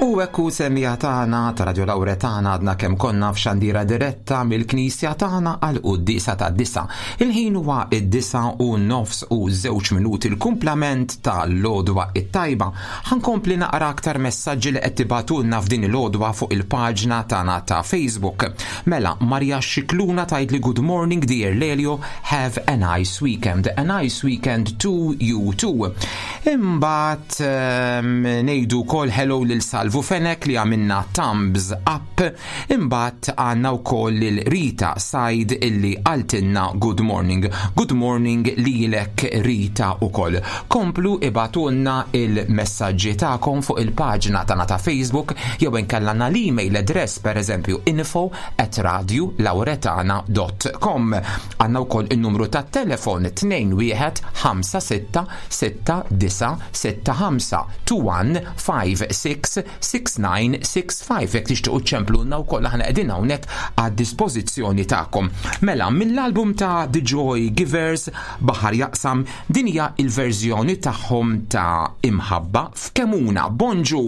U hekk hu semmiegħa tagħna ta' Radio Lauretana għadna kemm konna f'xandira diretta mill-knisja tagħna għal quddiesa tad-disa. Il-ħin huwa id-disa u nofs u żewġ minuti l-kumplament ta' l-għodwa it-tajba. Ħankompli naqra aktar messaġġi li qed tibagħtulna f'din il-għodwa fuq il-paġna tagħna ta' Facebook. Mela, Maria Xikluna tgħidli good morning dear Lelio, have a nice weekend. A nice weekend to you too. Imbagħad ngħidu wkoll hello lil Salvu Fenek li għamilna thumbs up. Imbagħad għandna wkoll lil Rita Said illi qaltilna good morning. Good morning lilek Rita ukoll. Komplu ibagħtulna il-messaġġi tagħkom fuq il-paġna tagħna ta' Facebook jew inkella għandna l-email address pereżempju info at radiolauretana.com. Għandna wkoll in-numru tat-telefon 21 56 6965 21566965 jekk tixtiequ ċemplunna wkoll aħna qegħdin hawnhekk għad-dispożizzjoni tagħkom. Mela mill-album ta' The Joy Givers Baħar Jaqsam din hija il-verżjoni tagħhom ta' Imħabba f'Kemuna. Bonġu!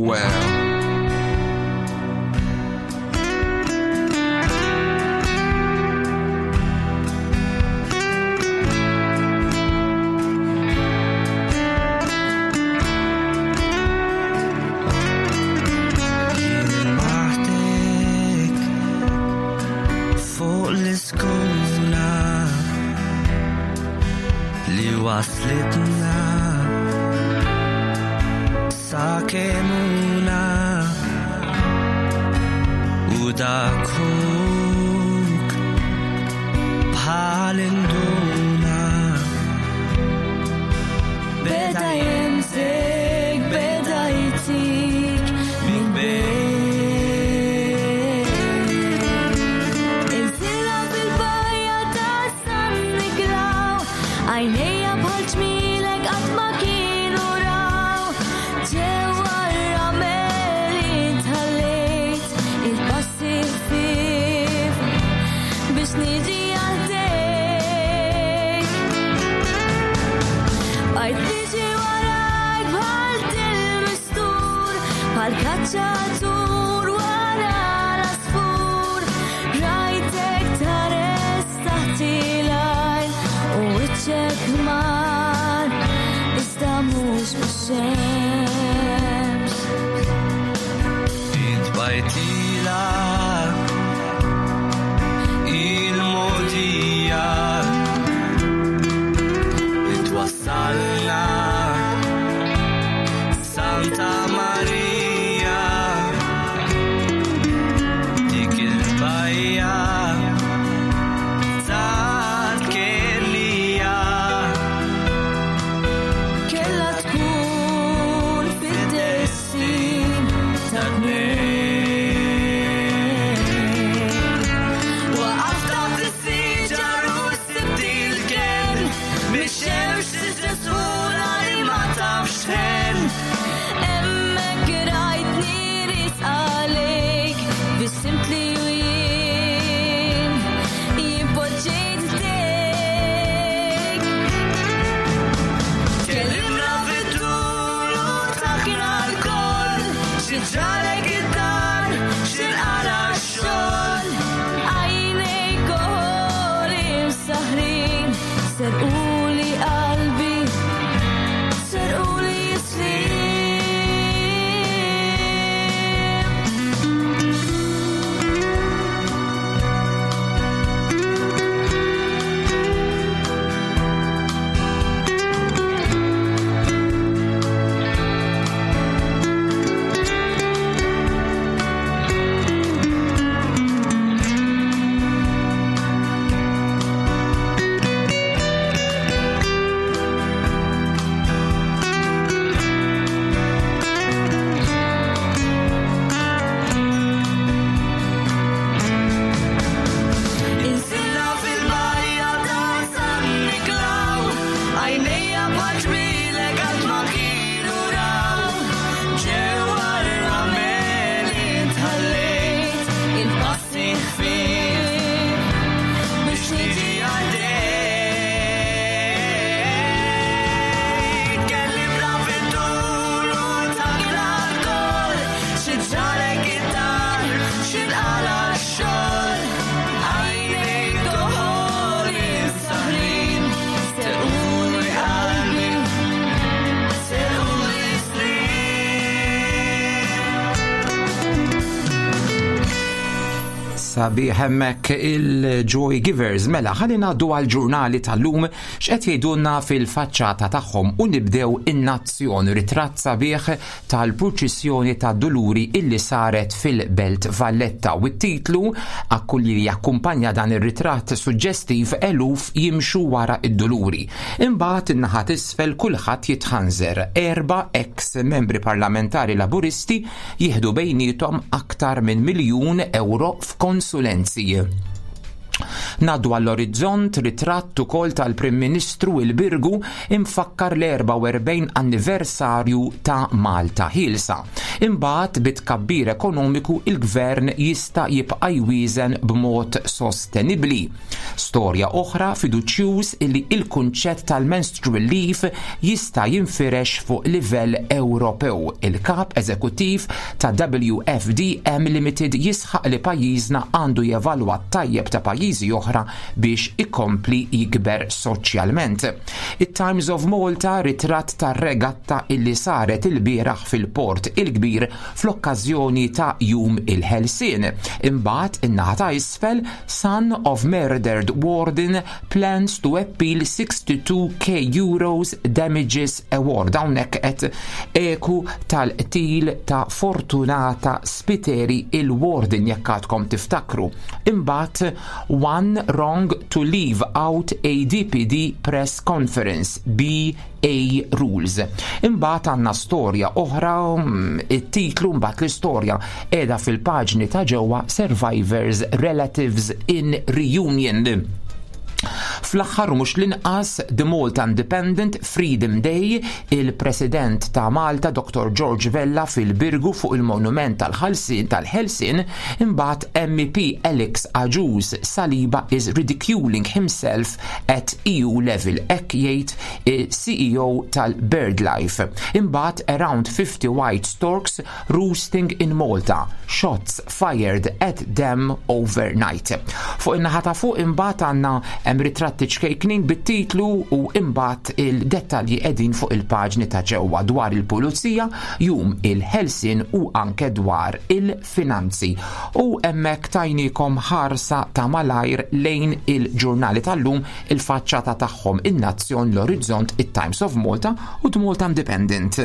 Maħtek fuq l-iskuna li waslitna sa kemuna u dakuk bħal induna Beda jemsek, beda jtik min bejn. Inżilha fil-bajja ta' San Niklaw, għajnejja bħal ġmielek qatt ma kienu raw. Ġewwa r-ramel intħallejt il-passi ħfief biex niġi għaldejk. Bajt niġi warajk bħal til-mistur, bħal kaċċatur wara l-asfur. Rajtek tares taħt il-għajn u wiċċek mar, iżda mhux bix-xemx. Int bajtila il-modija li twassalna Santa Maria. Sabiħ hemmhekk il-Joy Givers. Mela, ħalli ngħaddu għall-ġurnali tal-lum x'qed jgħidulna fil-faċċata tagħhom u nibdew in-Nazzjon, ritratt sabiħ tal-purċissjoni tad-Duluri illi saret fil-Belt Valletta u t-titlu li jakkumpanja dan ir-ritratt suġġestiv eluf jimxu wara id-Duluri. Imbagħad in-naħa t'isfel kulħadd jitħanżer. Erba' eks membri parlamentari Laburisti jieħdu bejniethom aktar minn miljun ewro f'konsulenzi. Ngħaddu għall-Orizzont, ritratt ukoll tal-Prim Ministru il-Birgu imfakkar l-44 anniversarju ta' Malta Ħielsa. Imbagħad bi tkabbir ekonomiku il-Gvern jista' jibqa' jwieżen b'mod sostenibbli. Storja oħra fiduċjuż illi il-kunċett tal-menstrual leave jista' jinfirex fuq livell Ewropew. Il-Kap Eżekuttiv ta' WFDM Limited jisħaq li pajjiżna għandu jevalwa t-tajjeb ta' pajjiżi oħra biex ikompli jikber soċjalment. It-Times of Malta ritratt tar-regatta illi saret ilbieraħ fil-Port il-Kbir fl-okkażjoni ta' Jum il-Ħelsien. Imbagħad in-naħa ta' isfel Son of murdered warden plans to appeal 62k euros damages award. Hawnhekk qed eku tal-qtil ta' Fortunata Spiteri il-warden jekk għadkom tiftakru. Imbagħad one wrong to leave out ADPD press conference BA rules. Imbagħad għandna storja oħra, it-titlu mbagħad l-istorja qiegħda fil-paġni ta' ġewwa Survivors Relatives in Reunion. Fl-aħħar u mhux l-inqas The Malta Independent Freedom Day, il-President ta' Malta Dr. George Vella fil-Birgu fuq il-monument tal-ħalsin tal-Ħelsien, imbagħad MEP Alex Agius Saliba is ridiculing himself at EU level, hekk jgħid il-CEO tal-BirdLife. Imbagħad around 50 white storks roosting in Malta, shots fired at them overnight. Fuq in-naħa ta' fuq imbagħad għandna hemm ritratti ċkejknin bit-titlu u imbagħad il-dettalji qegħdin fuq il-paġni ta' ġewwa dwar il-pulizija, jum il-Ħelsien u anke dwar il-finanzi. U hemmhekk tajnikom ħarsa ta' malajr lejn il-ġurnali tal-lum il-faċċata tagħhom in-Nazzjon, l-Orizzont, it-Times of Malta u The Malta Independent.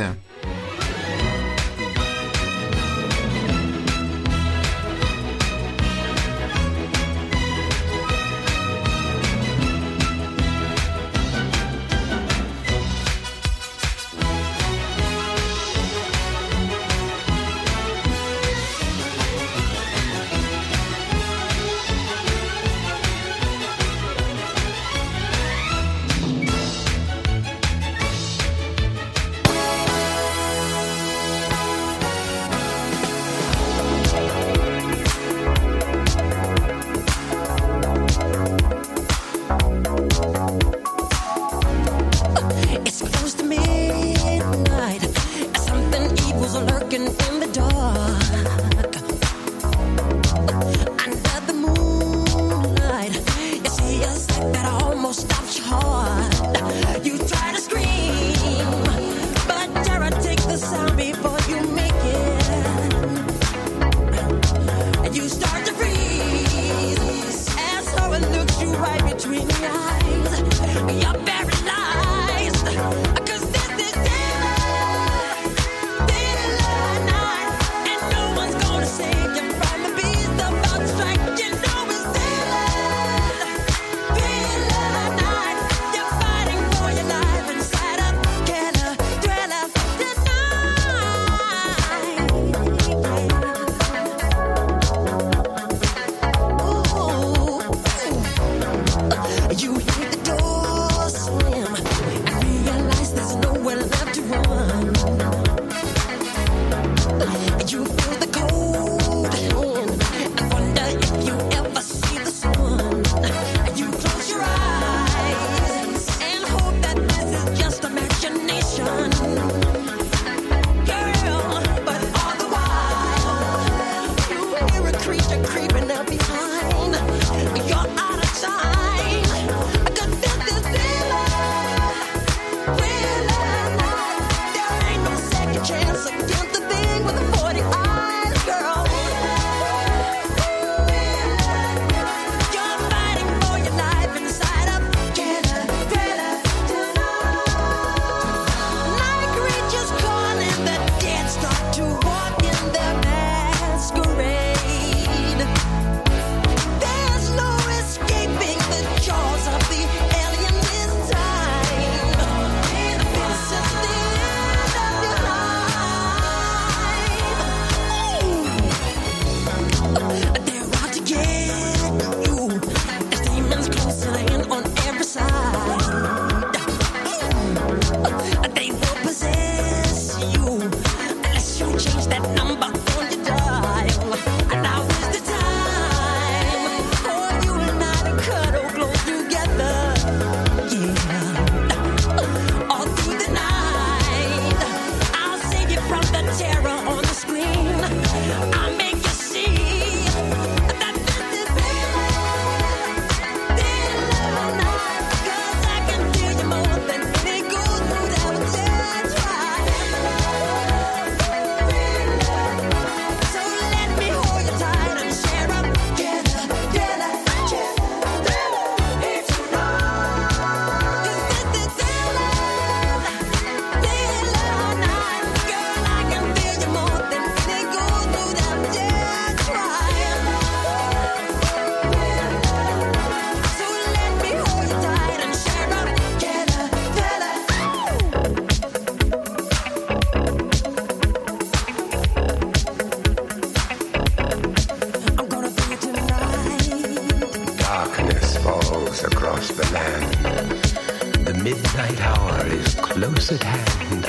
midnight hour is close at hand.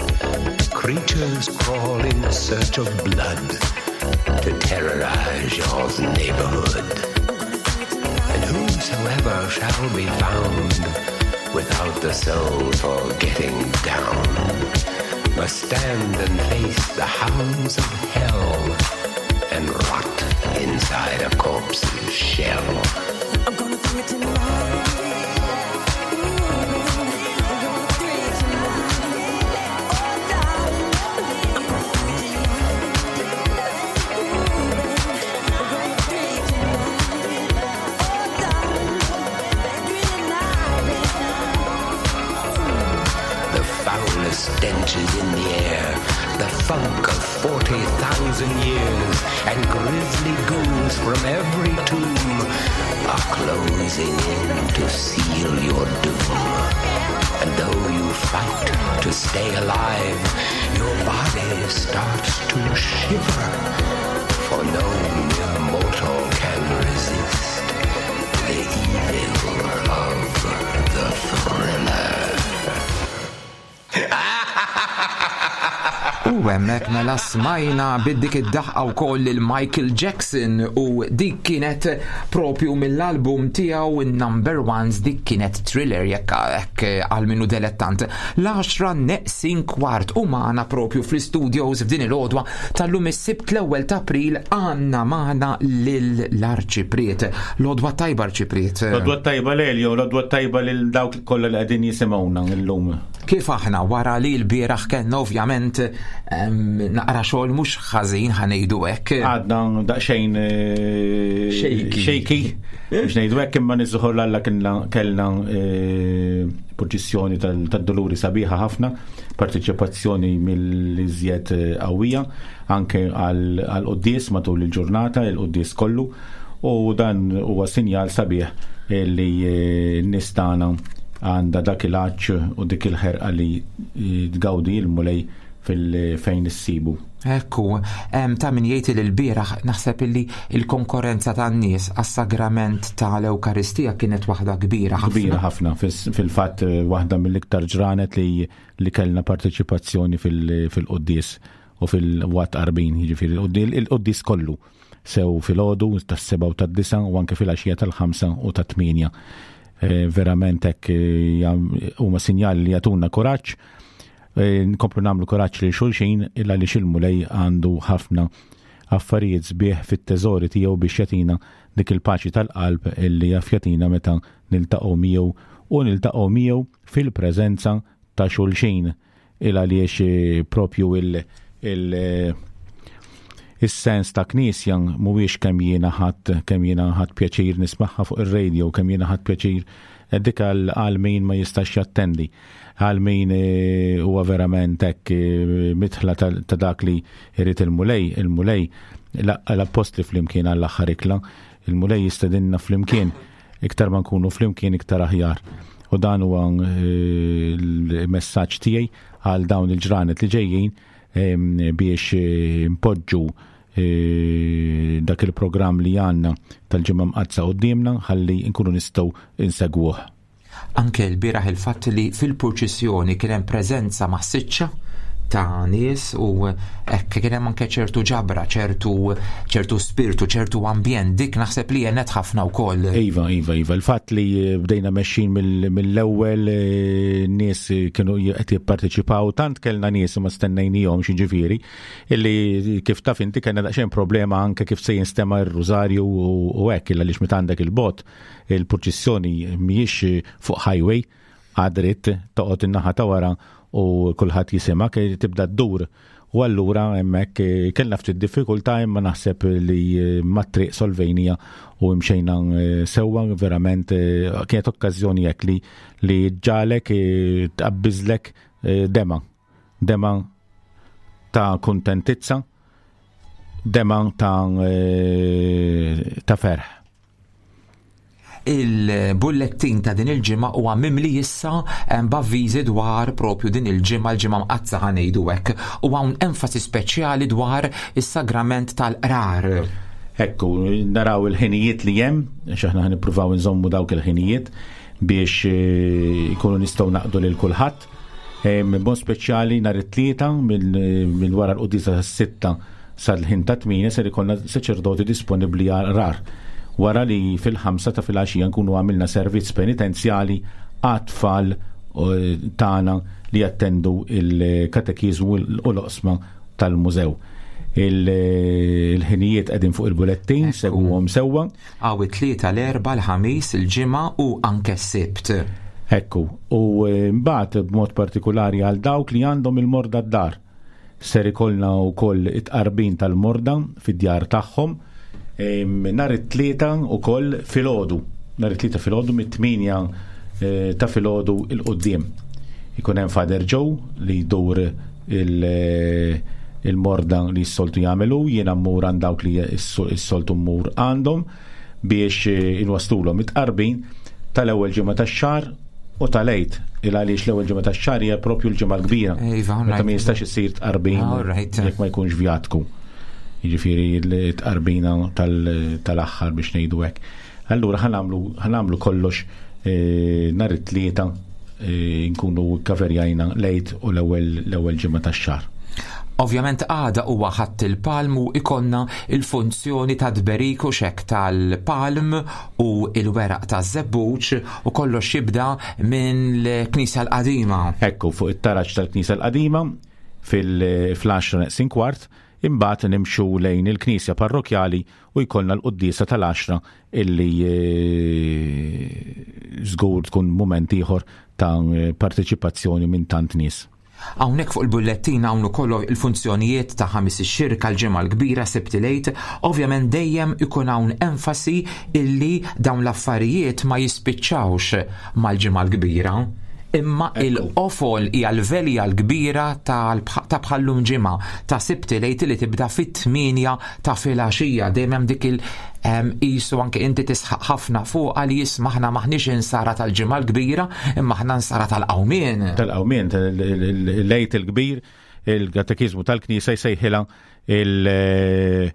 Creatures crawl in search of blood to terrorize your neighborhood. And whosoever shall be found without the soul for getting down must stand and face the hounds of hell and rot inside a corpse's shell. I'm gonna do it tonight. Ooh, I'm gonna do it tonight. Oh, darling, I'm gonna do it tonight. Ooh, I'm gonna do it tonight. Oh, darling, do it tonight. The foulest stench is in the air, the funk of 40,000 years, and grisly ghouls from every tomb are closing in to seal your doom. And though you fight to stay alive, your body starts to shiver, for no mere mortal can resist the evil of the thriller. U hemmhekk mela smajna bid-dik id-daħqa wkoll lil Michael Jackson u dik kienet propju mill-album tiegħu Number Ones, dik kienet Thriller jekk hekk għal minnu delettant. L-10 neqsin kwart u magħna propju fl-studios f'din il-għodwa tal-lum is-Sibt l-ewwel ta' April għandna magħna lill-Arċipriet. L-għodwa tajba Arċipriet. L-għodwa tajba Lelio, l-għodwa tajba lil dawk kollha li qegħdin jisimgħuna llum. Kif aħna wara li l-bieraħ kellna ovvjament naqra xogħol mhux ħażin ħanejdu hekk. Għadna daqsxejn Shaky. shaky. Biex ngħidu hekk imma niżħor l-Alla kellna purċissjoni tad-doluri sabiħa ħafna, parteċipazzjoni mill-iżjed qawwija anke għal quddies matul il-ġurnata, il-quddies kollu, u dan huwa sinjal sabiħ li n-nies tagħna għandha dak il-għatx u dik il-ħerqa li tgawdi l-Mulej fil-fejn issibu. Ekku, ta' min jgħid li l-bieraħ naħseb illi il-konkurrenza tan-nies għas-sagrament tal-Ewkaristija kienet waħda kbira ħafna. Kbira ħafna, fil-fatt waħda mill-iktar ġranet li kellna parteċipazzjoni fil-quddies u fil-wat qarbin, jiġifieri il-quddies kollu, sew filgħodu tas-7 u tad-9 u anke fil-għaxija tal-5 u tat-8. Verament hekk huma sinjali li jagħtuna kuraġġ. Nkomplu nagħmlu kuraġġ lil xulxin illa li xil-Mulej għandu ħafna affarijiet sbieħ fit-teżori tiegħu biex jagħtina dik il-paċi tal-qalb illi jaf jagħtina meta niltaqgħu miegħu u niltaqgħu miegħu fil-preżenza ta' xulxin il għaliex propju is-sens ta' knisja mhuwiex kemm jiena ħadd pjaċir nismagħha fuq ir-radio, kemm jiena ħadd pjaċir dik għal min ma jistax jattendi, għal min huwa verament hekk mitħla ta' dak li jrid il-Mulej. Il-Mulej l-appostli flimkien għall-aħħar ikla, il-Mulej jistedinna flimkien, iktar ma nkunu flimkien iktar aħjar. U dan huwa l-messaġġ tiegħi għal dawn il-ġranet li ġejjin biex npoġġu dak il-programm li għandna tal-Ġimgħa Mqaddsa quddiemna ħalli nkunu nistgħu insegwuh. Anke l-bieraħ il-fatt li fil-purċissjoni kien hemm preżenza massiċċa ta' nies u hekk kien hemm anke ċertu ġabra, ċertu spirtu, ċertu ambjent, dik naħseb li għenet ħafna wkoll. Iva, iva, iva. Il-fatt li bdejna mexxin mill-ewwel nies kienu qed jipparteċipaw, tant kellna nies ma stennejnihom xiġifieri, illi kif taf inti kellna daqsxejn problema anke kif se jinstema' r-rużarju u hekk, illa għaliex meta għandek il-bot, il-purċissjoni mhijiex fuq highway, għadrit toqgħod in-naħa ta' wara u kulħadd jisimak, tibda ddur. U allura hemmhekk kellna ftit diffikultà, imma naħseb li mat-triq solvejnija u mxejna sewwa, verament kienet okkażjoni hekk li ġalek tqabbiżlek dema ta' kuntentizza, dema ta' ferħ. Il-bullettin ta' din il-ġimgħa huwa mimli issa b'avviżi dwar propju din il-ġimgħa, l-ġimgħa mqaddsa ħanejdu hekk, u hawn enfasi speċjali dwar is-sagrament tal-qrar. Ekku, naraw il-ħinijiet li hemm, għax aħna ħanippruvaw nżommu dawk il-ħinijiet. biex ikunu nistgħu naqdu lil kulħadd. Bon speċjali nhar it-Tlieta minn wara l-quddiesa tas-6 sal-ħin ta' 8 ser ikollna saċerdoti disponibbli rar. Wara li fil-5 ta' filgħaxija nkunu għamilna servizz penitenzjali għat-tfal tagħna li jattendu il-katekiżmu u l-oqsma tal-mużew. Il-ħinijiet qegħdin fuq il-bulettin, segwuhom sewwa. Għaw it-Tlieta, l-Erbgħa, l-Ħamis, il-Ġimgħa u anke s-Sibt. Ekku, u mbagħad b'mod partikulari għal dawk li għandhom il-morda d-dar. Ser ikollna wkoll it-tqarbin tal-morda fid-djar tagħhom nhar it-Tlieta wkoll filgħodu. Nhar it-Tlieta filgħodu mit-8 ta' filgħodu il quddiem. Ikun hemm Father Joe li jdur il-morda li s-soltu jagħmelu, jiena mmur għand dawk li s-soltu mmur għandhom biex inwaslulhom it-tqarbin tal-ewwel ġimgħa tax-xahar u tal-Għid, il għaliex l-ewwel ġimgħa tax-xahar hija propju l-Ġimgħa l-Kbira. Iva, Meta ma jistax isir tqarbin jekk ma jkunx vjatku. Jiġifieri l-tqarbina tal-aħħar biex ngħidu hekk. Allura ħanamlu kollox nhar it-Tlieta nkunu kaverjajna l-Għid u l-ewwel ġimgħa tax-xahar. Ovvjament għada huwa Ħadd il-Palm u ikonna il-funzjoni ta' tberik u xek tal-palm u il-weraq ta' żebbuġ u kollox jibda minn l-Knisja l-Qadima. Ekku, fuq it-taraġ tal-Knisja l-Qadima fil-10 neqsin kwart, imbagħad nimxu lejn il-Knisja Parrokjali u jkollna l-quddiesa tal-10 illi żgur tkun mument ieħor ta' parteċipazzjoni minn tant nies. Hawnhekk fuq il-bullettin hawn ukoll il-funzjonijiet ta' Ħamis ix-Xirka, l-Ġimgħa l-Kbira, Sibt il-Għid. Ovvjament dejjem ikun hawn enfasi illi dawn l-affarijiet ma jispiċċawx mal-Ġimgħa l-Kbira. Imma il-qofol hija l-velja l-kbira ta' bħallum ġimgħa ta' Sibt il-Għid li tibda fit-8 ta' filgħaxija. Dejjem hemm dik il qisu anke inti tisħaq ħafna fuq għal jisma' aħna maħniex insara tal-Ġimgħa l-Kbira, imma aħna insara tal-qawmien. Tal-qawmien, l-Għid il-Kbir, il-Katekiżmu tal-Knisja jsejħilha il-festa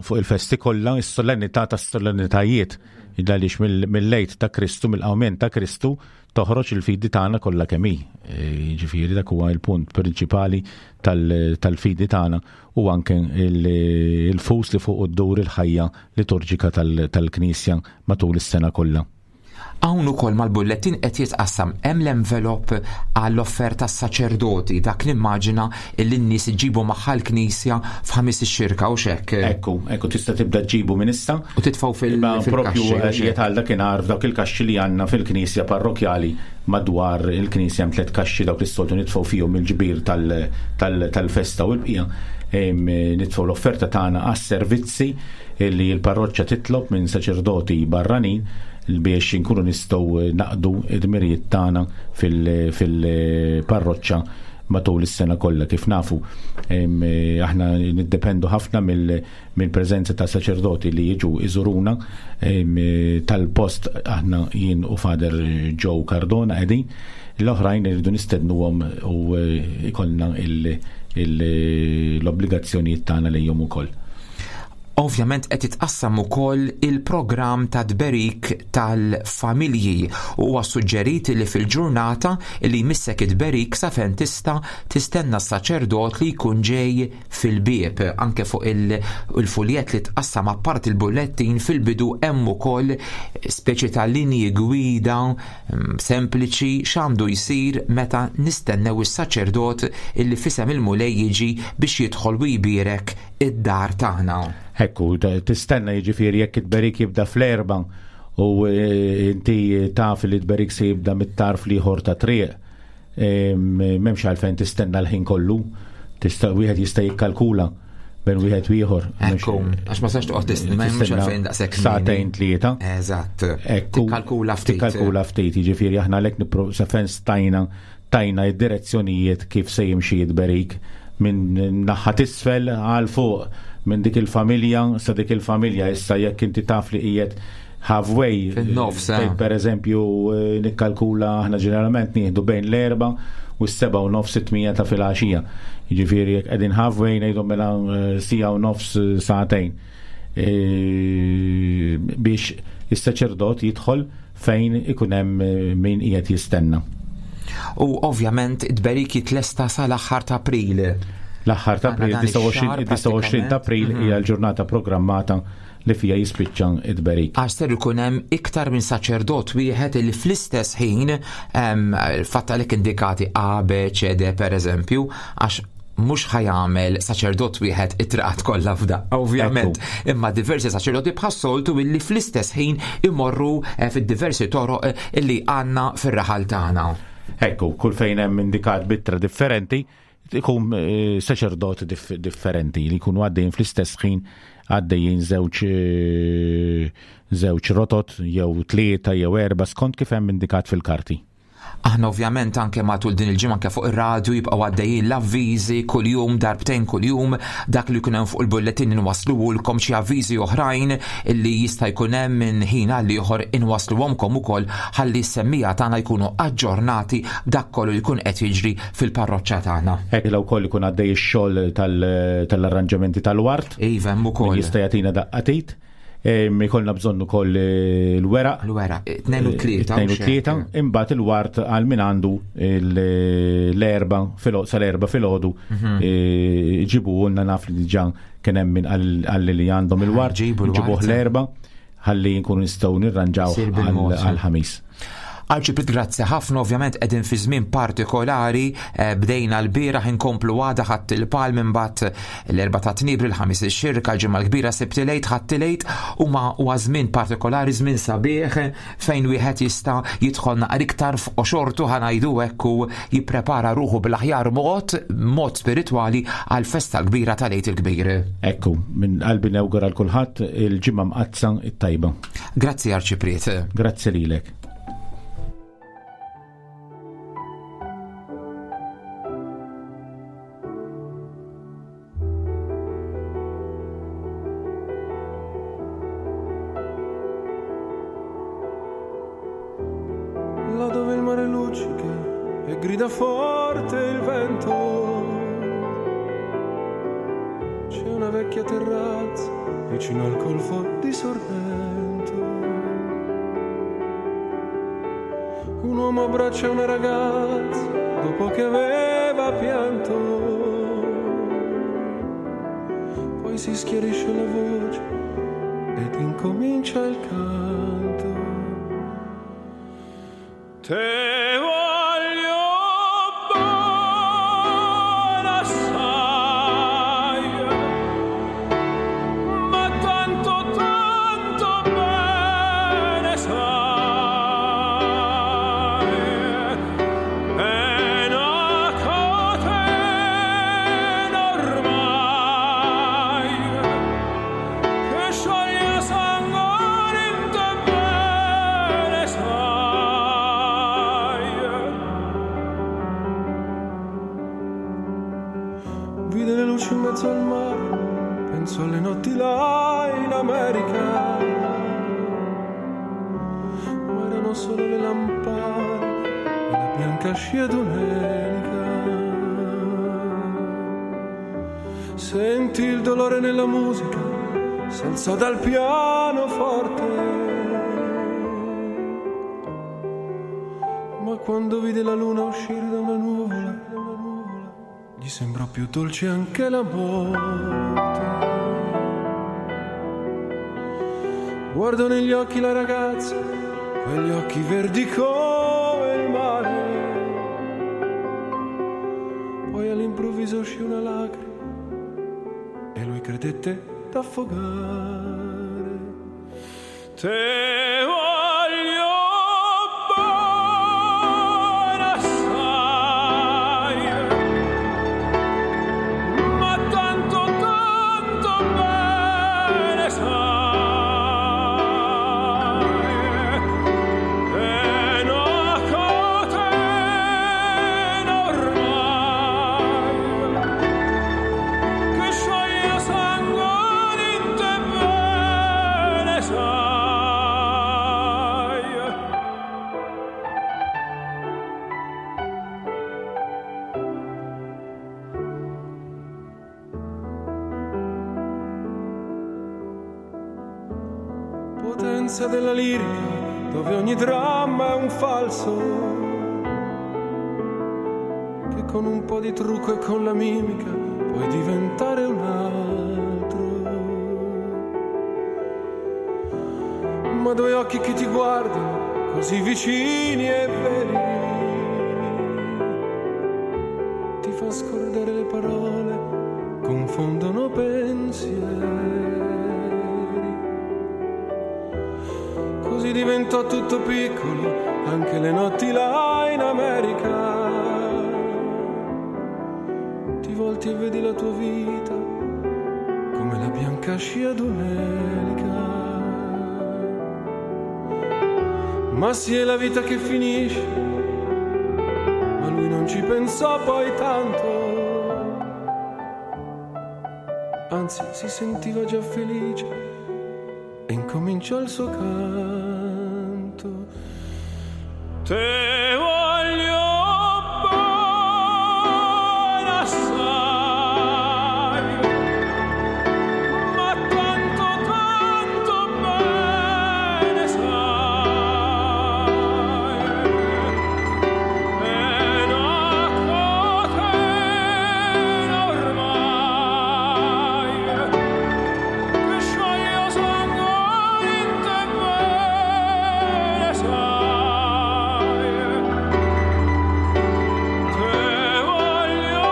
fuq il-festi kollha, is-solennità tas-solennitajiet, għaliex mill-Għid ta' Kristu, mill-qawmien ta' Kristu, toħroġ il-fidi tagħna kollha kemm hi. Jiġifieri dak huwa l-punt prinċipali tal-fidi tagħna u anke il-fus li fuq iddur il-ħajja liturġika tal-Knisja matul is-sena kollha. Hawn ukoll mal-bullettin qed jitqassam hemm l-envelop għall-offerta saċerdoti, dak nimmaġina li n-nies iġibu magħha l-Knisja f'Ħamis ix-Xirka u x'hekk. Ekku, ekku tista' tibda ġibu minn issa. U titfgħu Imma propju fil-kaxxi, u x'hekk. jgħid dakinhar f'dawk il-kaxxi li għandna fil-Knisja parrokjali madwar il-Knisja hemm 3 kaxxi dawk li s-soltu nitfgħu fihom il-ġbir tal-festa u l-bqija. Nitfgħu l-offerta tagħna għas-servizzi li l-parroċċa titlob minn saċerdoti barranin biex inkunu nistgħu naqdu id-dmirijiet tagħna fil-parroċċa matul is-sena kollha. Kif nafu, aħna niddependu ħafna mill-preżenza ta' saċerdoti li jiġu iżuruna, tal-post aħna jien u Father Joe Cardona qegħdin, l-oħrajn irridu nistednuhom u ikollna l-obbligazzjonijiet tagħna lejhom ukoll. Ovvjament qed jitqassam ukoll il-programm ta' tberik tal-familji u huwa suġġerit li fil-ġurnata li jmissek it-tberik sa fejn tista' tistenna s-saċerdot li jkun ġej fil-bieb. Anke fuq il-fuljett li tqassam apart il-bullettin fil-bidu hemm ukoll speċi ta' linji gwida sempliċi x'għandu jsir meta nistennew is-saċerdot illi f'isem il-Mulej jiġi biex jidħol u jbierek id-dar tagħna. Ekku, tistenna jiġifieri jekk it-tberik jibda fl-4 u inti taf li t-tberik se jibda mit-tarf l-ieħor ta' triq, m'hemmx għalfejn tistenna l-ħin kollu, wieħed jista' jikkalkula bejn wieħed u ieħor. Ekku, għax ma sax toqgħod tistenna, m'hemmx Tistenna għalfejn daqshekk kmieni. Sagħtejn tlieta. Eżatt. Ekku, Tikkalkula ftit. Tikkalkula ftit, jiġifieri aħna għalhekk sa fejn stajna tajna id-direzzjonijiet kif se jimxi t-tberik minn naħa t'isfel għal fuq, minn dik il-familja sa dik il-familja. Issa jekk inti taf li qiegħed halfway, fin-nofs, fejn per eżempju nikkalkula aħna ġeneralment nieħdu bejn l-4 u s-seba' u nofs it-tmija ta' filgħaxija. Jiġifieri jekk qegħdin halfway ngħidu mela sija u nofs sagħtejn. Biex is-saċerdot jidħol fejn ikun hemm min qiegħed jistenna. U ovvjament id-tberik jitlesta sal-aħħar ta' April. L-aħħar ta' April, Għandna dan ix-xahar 29 ta' April hija l-ġurnata programmata li fija jispiċċa id-tberik. Għax ser ikun hemm iktar minn saċerdot wieħed li fl-istess ħin fatt għalhekk indikati A, B, C, D per eżempju, għax mhux ħajamel saċerdot wieħed it-triqat kollha f'daqqa, ovvjament, imma diversi saċerdoti bħas-soltu illi fl-istess ħin imorru fid-diversi toroq illi għandna fir-raħal tagħna. Ekku, kull fejn hemm indikat bittra differenti, ikun saċerdot differenti li jkunu għaddejjin fl-istess ħin, għaddejjin żewġ rotot jew 3 jew 4 skont kif hemm indikat fil-karti. Aħna ovvjament anke matul din il-ġimgħa anke fuq ir-radju jibqgħu għaddejjin l-avviżi kuljum, darbtejn kuljum, dak li jkun hemm fuq il-bulletin inwassluhulkom, xi avviżi oħrajn illi jista' jkun hemm minn ħin għal ieħor inwassluhomkom ukoll ħalli s-semmija tagħna jkunu aġġornati b'dak kollu li jkun qed jiġri fil-parroċċa tagħna. Hekk law wkoll ikun għaddej ix-xogħol tal-arranġamenti tal-wart. Iva, hemm ukoll. Min jista' jagħtina daqqatit. Ikollna bżonn ukoll l-weraq. L-weraq, 2 u 3, 2 u mhux hekk. 3, imbagħad il-wart għal min għandu l-erba' sal-erba' filgħodu, ġibuhulna, naf li diġà kien hemm min qal li għandhom il-wart, Ġibu l-wart. ġibuh l-erba' ħalli nkunu nistgħu nirranġaw Sir bil-mod. għall-ħamis. Arċipriet, grazzi ħafna, ovvjament qegħdin fi żmien partikolari, bdejna l-bieraħ inkomplu għada ħadd il-palm, imbagħad l-erba' ta' tnibri, l-ħamis ix-xirka, l-ġimgħa l-kbira, Sibt il-Għid, ħadd il-Għid, huma huwa żmien partikolari, żmien sabiħ fejn wieħed jista' jidħol naqra iktar f'qoxortu, ħanajdu hekk, u jipprepara ruħu bl-aħjar mod spiritwali għall-festa l-kbira tal-Għid il-Kbir. Ekku, minn qalbi nawgura l kulħadd il-ġimgħa mqaddsa it-tajba. Grazzi Arċipriet. Grazzi lilek. Là dove il mare luccica e grida forte il vento, c'è una vecchia terrazza vicino al golfo di Sorrento. Un uomo abbraccia una ragazza dopo che aveva pianto, poi si schiarisce la voce ed incomincia il canto. Te voglio bene assai, ma tanto, tanto bene sai, è una catena ormai che scioglie sangue in te bene sai. Vide le luci in mezzo al mare, penso alle notti là in America, ma erano solo le lampade e la bianca scia d'un'elica. Senti il dolore nella musica, s'alzò dal pianoforte, ma quando vide la luna uscire da una nuvola, gli sembrò più dolce anche la morte. Guardo negli occhi la ragazza, quegli occhi verdi come il mare. Poi all'improvviso uscì una lacrima e lui credette d'affogare. Te voglio bene assai, ma tanto, tanto bene sai, è una catena ormai che scioglie sangue in te bene sai. Potenza della lirica, dove ogni dramma è un falso, che con un po' di trucco e con la mimica puoi diventare un altro. Ma due occhi che ti guardano così vicini e veri ti fa scordare le parole, confondono pensieri. Così diventò tutto piccolo, anche le notti là in America. Ti volti e vedi la tua vita come la bianca scia d'un'elica. Ma sì, è la vita che finisce, ma lui non ci pensò poi tanto. Anzi, si sentiva già felice e incominciò il suo canto. Te voglio bene assai, ma tanto, tanto bene sai, è una catena ormai che scioglie sangue in te bene sai. Te voglio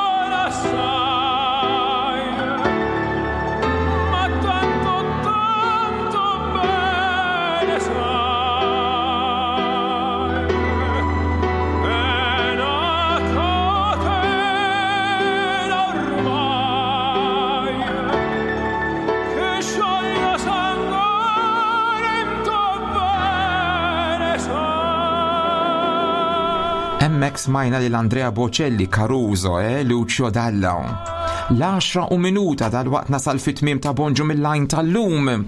bene assai, ma tanto, tanto bene sai, è una catena ormai che scioglie sangue in te bene sai. Hemmhekk smajna lil Andrea Bocelli, Caruso, eh, Lucio Dalla. L-10 u minuta dal-waqt nasal fit-tmiem ta' Bonġu mill-lajn tal-lum.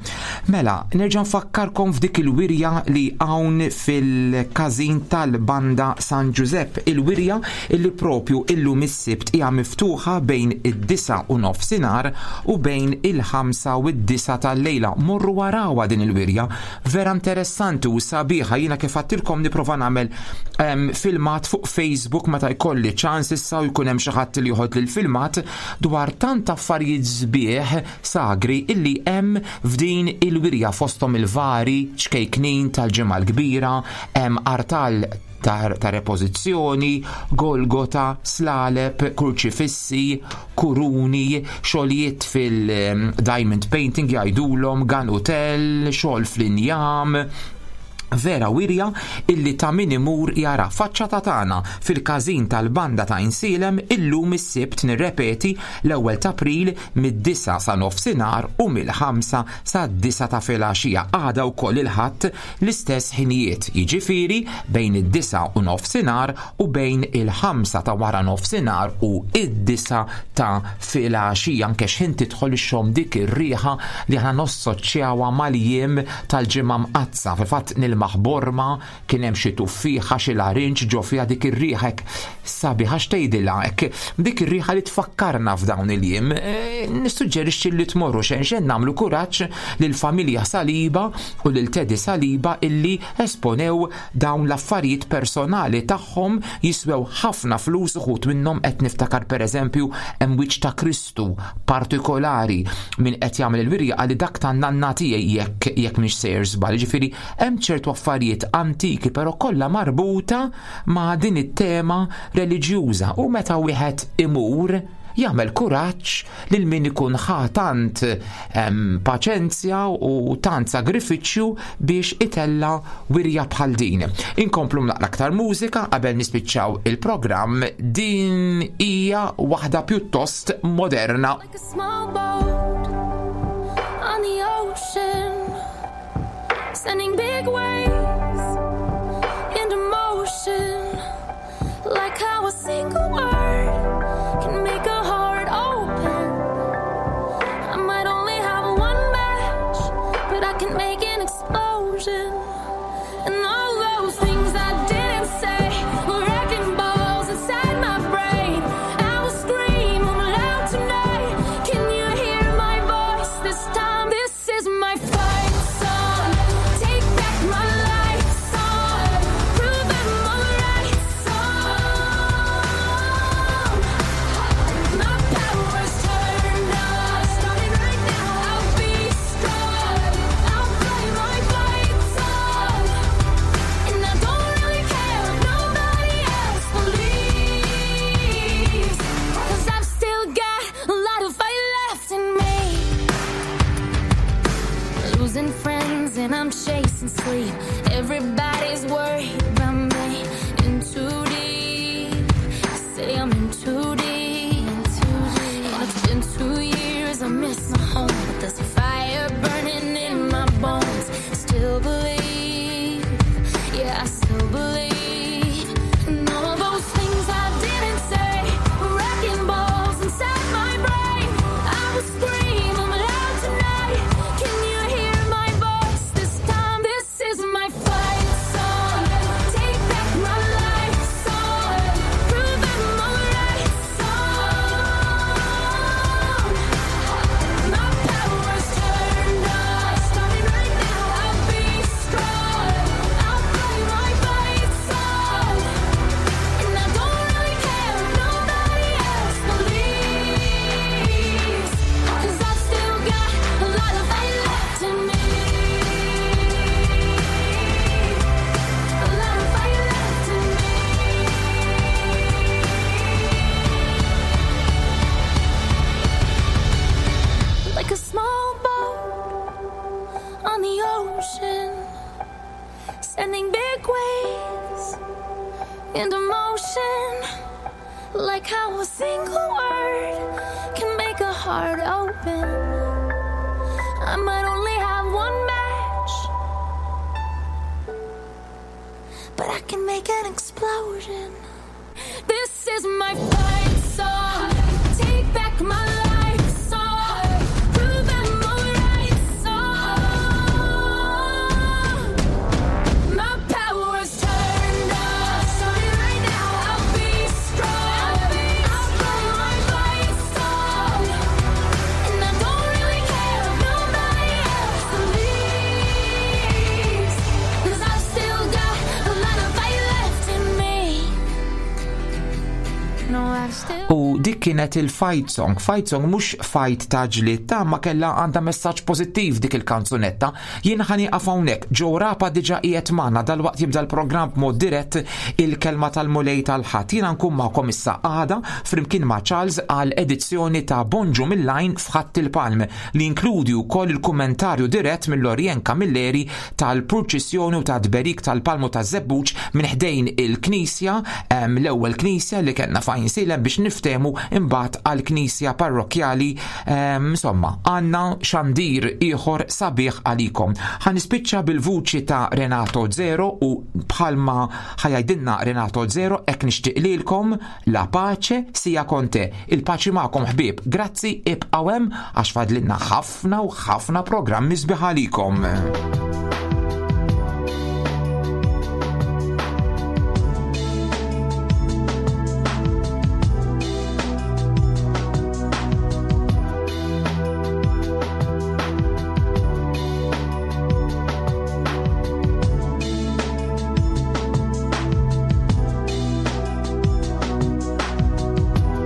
Mela, nerġa' nfakkarkom f'dik il-wirja li hawn fil-każin tal-Banda San Giuseppe. Il-wirja illi propju illum is-Sibt hija miftuħa bejn id-9 u nofsinhar u bejn il-5 u d-9 tal-lejla. Morru warawha din il-wirja, vera interessanti u sabiħa. Jiena kif għattilkom nipprova nagħmel filmat fuq Facebook meta jkolli ċans issa u jkun hemm xi ħadd li joħod lil filmat dwar tant affarijiet sbieħ sagri illi hemm f'din il-wirja, fosthom il-vari ċkejknin tal-Ġimgħa l-Kbira, hemm artal ta' repożizzjoni, Golgota, slaleb, kurċifissi, kuruni, xogħlijiet fil-diamond painting jgħidulhom, ganutell, xogħol fl-injam. Vera wirja illi ta' min imur jara, faċċata tagħna fil-każin tal-Banda ta' Għajnsielem illum is-Sibt, nirrepeti, l-1 ta' April, mid-9 sa nofsinhar u mill-5 sa 9 ta' filgħaxija. Għada wkoll il-Ħadd l-istess ħinijiet, jiġifieri bejn id-9 u nofsinhar u bejn il-5 ta' wara nofsinhar u id-9 ta' filgħaxija. Anke x'ħin tidħol ixxomm dik ir-riħa li aħna nossoċjawha mal-jiem tal-Ġimgħa Mqaddsa. Fil-fatt nilmaħ borma kien hemm xi tuffieħa, xi larinġ ġo fiha, dik ir-riħa hekk sabiħa, x'tgħidilha hekk, dik ir-riħa li tfakkarna f'dawn il-jiem. Nissuġġerixxi li tmorru xejn xejn nagħmlu kuraġġ lill-familja Saliba u lil Teddy Saliba illi esponew dawn l-affarijiet personali tagħhom, jiswew ħafna flus uħud minnhom. Qed niftakar, pereżempju, hemm wiċċ ta' Kristu partikolari, min qed jagħmel il-wirja għalli dak tan-nanna tiegħi jekk mhix sejjer żball. Ġifieri hemm ċertu affarijiet antiki, però kollha marbuta ma' din it-tema reliġjuża, u meta wieħed imur jagħmel kuraġġ lil min ikun ħa tant paċenzja u tant sagrifiċċju biex itella wirja bħal din. Inkomplu naqra aktar mużika qabel nispiċċaw il-programm. Din hija waħda pjuttost moderna. Like a small boat on the ocean, sending big waves into motion. Like how a single word can make a heart open. I might only have one match, but I can make an explosion. And all those things I didn't say were wrecking balls inside my brain. I will scream them loud tonight. Can you hear my voice this time? This is my fight song. too deep. And it's been 2 years, I miss my home, but there's a fire burning in my bones. Still believe, yeah, I still believe. And all those things I didn't say, wrecking balls inside my brain. I will scream 'em loud tonight. Can you hear my voice this time? This is my fight song. Take back my life song. Prove I'm alright song. My power's turned on. Starting right now, I'll be strong. I'll play my fight song. And I don't really care if nobody else believes. 'Cause I've still got a lot of fight left in me. A lot of fight left in me. Like a small boat on the ocean, sending big waves into motion. Like how a single word can make a heart open. I might only have one match, but I can make an explosion. This is my fight song. Take back my life song. Prove I'm alright song. My power's turned on. Starting right now, I'll be strong. I'll play my fight song. And I don't really care if nobody else believes. 'Cause I've still got a lot of fight left in me. No, I've still U dik kienet il-fight song. Fight song mhux fight ta' ġlied ta' ma kellha għandha messaġġ pożittiv dik il-kanzunetta. Jien ħa nieqaf hawnhekk. Joe Rapa diġà qiegħed magħna dalwaqt jibda l-programm b'mod dirett il-kelma tal-Mulej tal-Ħadd. Jiena nkun magħkom issa għada flimkien ma' Charles għal edizzjoni ta' Bonġu mill-Għajn f'Ħadd il-Palm li inkludi wkoll il-kummentarju dirett mill-Orjen Camilleri tal-purċissjoni u ta' tberik tal-Palmu ta' Żebbuġ minn ħdejn il-Knisja, l-ewwel Knisja li kellna f'Għajnsielem biex niftehmu imbagħad għall-Knisja parrokkjali. Insomma, għandna xandir ieħor sabiħ għalikom. Ħa nispiċċa bil-vuċi ta' Renato Zero u bħalma ħa jgħidilna Renato Zero hekk nixtieq lilkom la pace sia con te. Il-paċi magħkom ħbieb. Grazzi, ibqgħu hemm għax fadlilna ħafna u ħafna programmi sbieħ għalikom.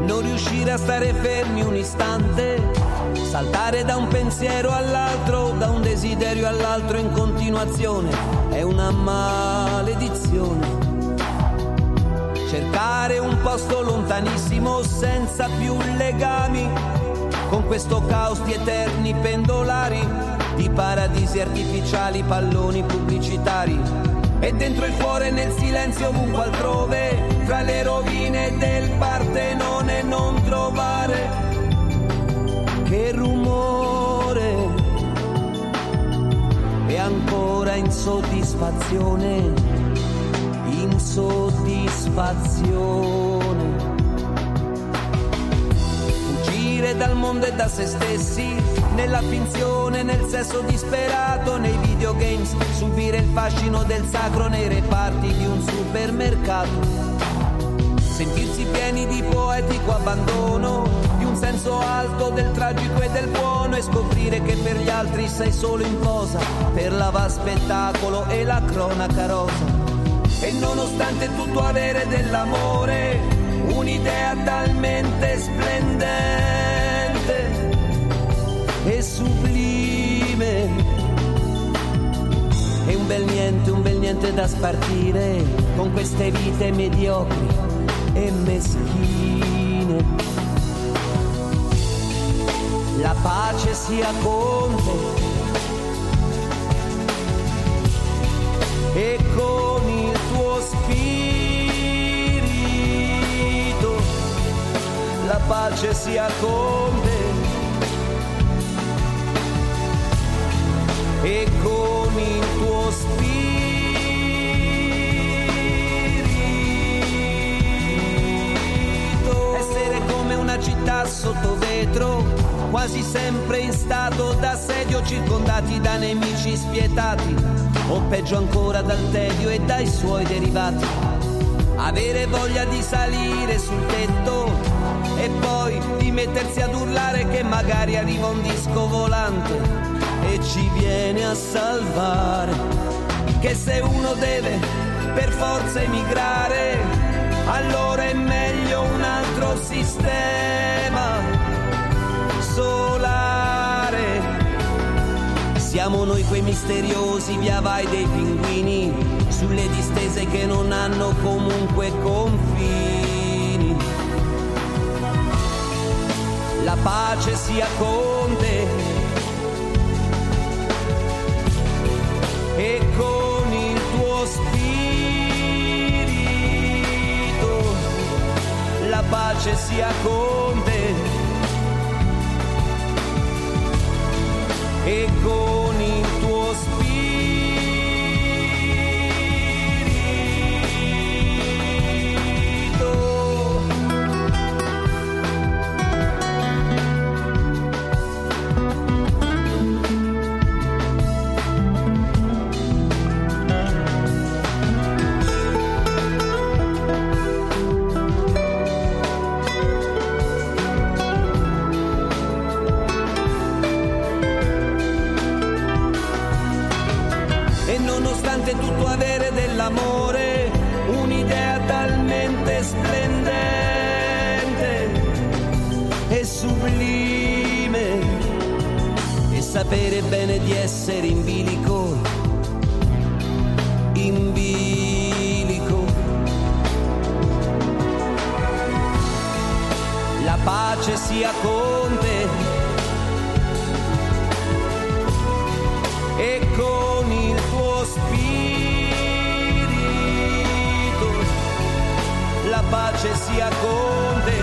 Non riuscire a stare fermi un istante, saltare da un pensiero all'altro, da un desiderio all'altro in continuazione, è una maledizione. Cercare un posto lontanissimo senza più legami, con questo caos di eterni pendolari, di paradisi artificiali, palloni pubblicitari. E dentro il cuore nel silenzio ovunque altrove, tra le rovine del Partenone non trovare che rumore e ancora insoddisfazione, insoddisfazione. Fuggire dal mondo e da se stessi, nella finzione, nel sesso disperato, nei videogames, subire il fascino del sacro nei reparti di un supermercato. Sentirsi pieni di poetico abbandono, di un senso alto del tragico e del buono, e scoprire che per gli altri sei solo in posa, per l'avaspettacolo e la cronaca rosa. E nonostante tutto avere dell'amore, un'idea talmente splendente e sublime, e un bel niente da spartire con queste vite mediocri e meschine. La pace sia con te e con il tuo spirito. La pace sia con te e con il tuo spirito. Essere come una città sotto vetro, quasi sempre in stato d'assedio, circondati da nemici spietati, o peggio ancora dal tedio e dai suoi derivati. Avere voglia di salire sul tetto e poi di mettersi ad urlare che magari arriva un disco volante e ci viene a salvare. Che se uno deve per forza emigrare, allora è meglio un altro sistema solare. Siamo noi quei misteriosi via vai dei pinguini sulle distese che non hanno comunque confini. La pace sia con te e con il tuo spirito. La pace sia con te e con il tuo spirito. E nonostante tutto avere dell'amore, un'idea talmente splendente e sublime, e sapere bene di essere in bilico, in bilico. La pace sia con te e con il tuo spirito. La pace sia con te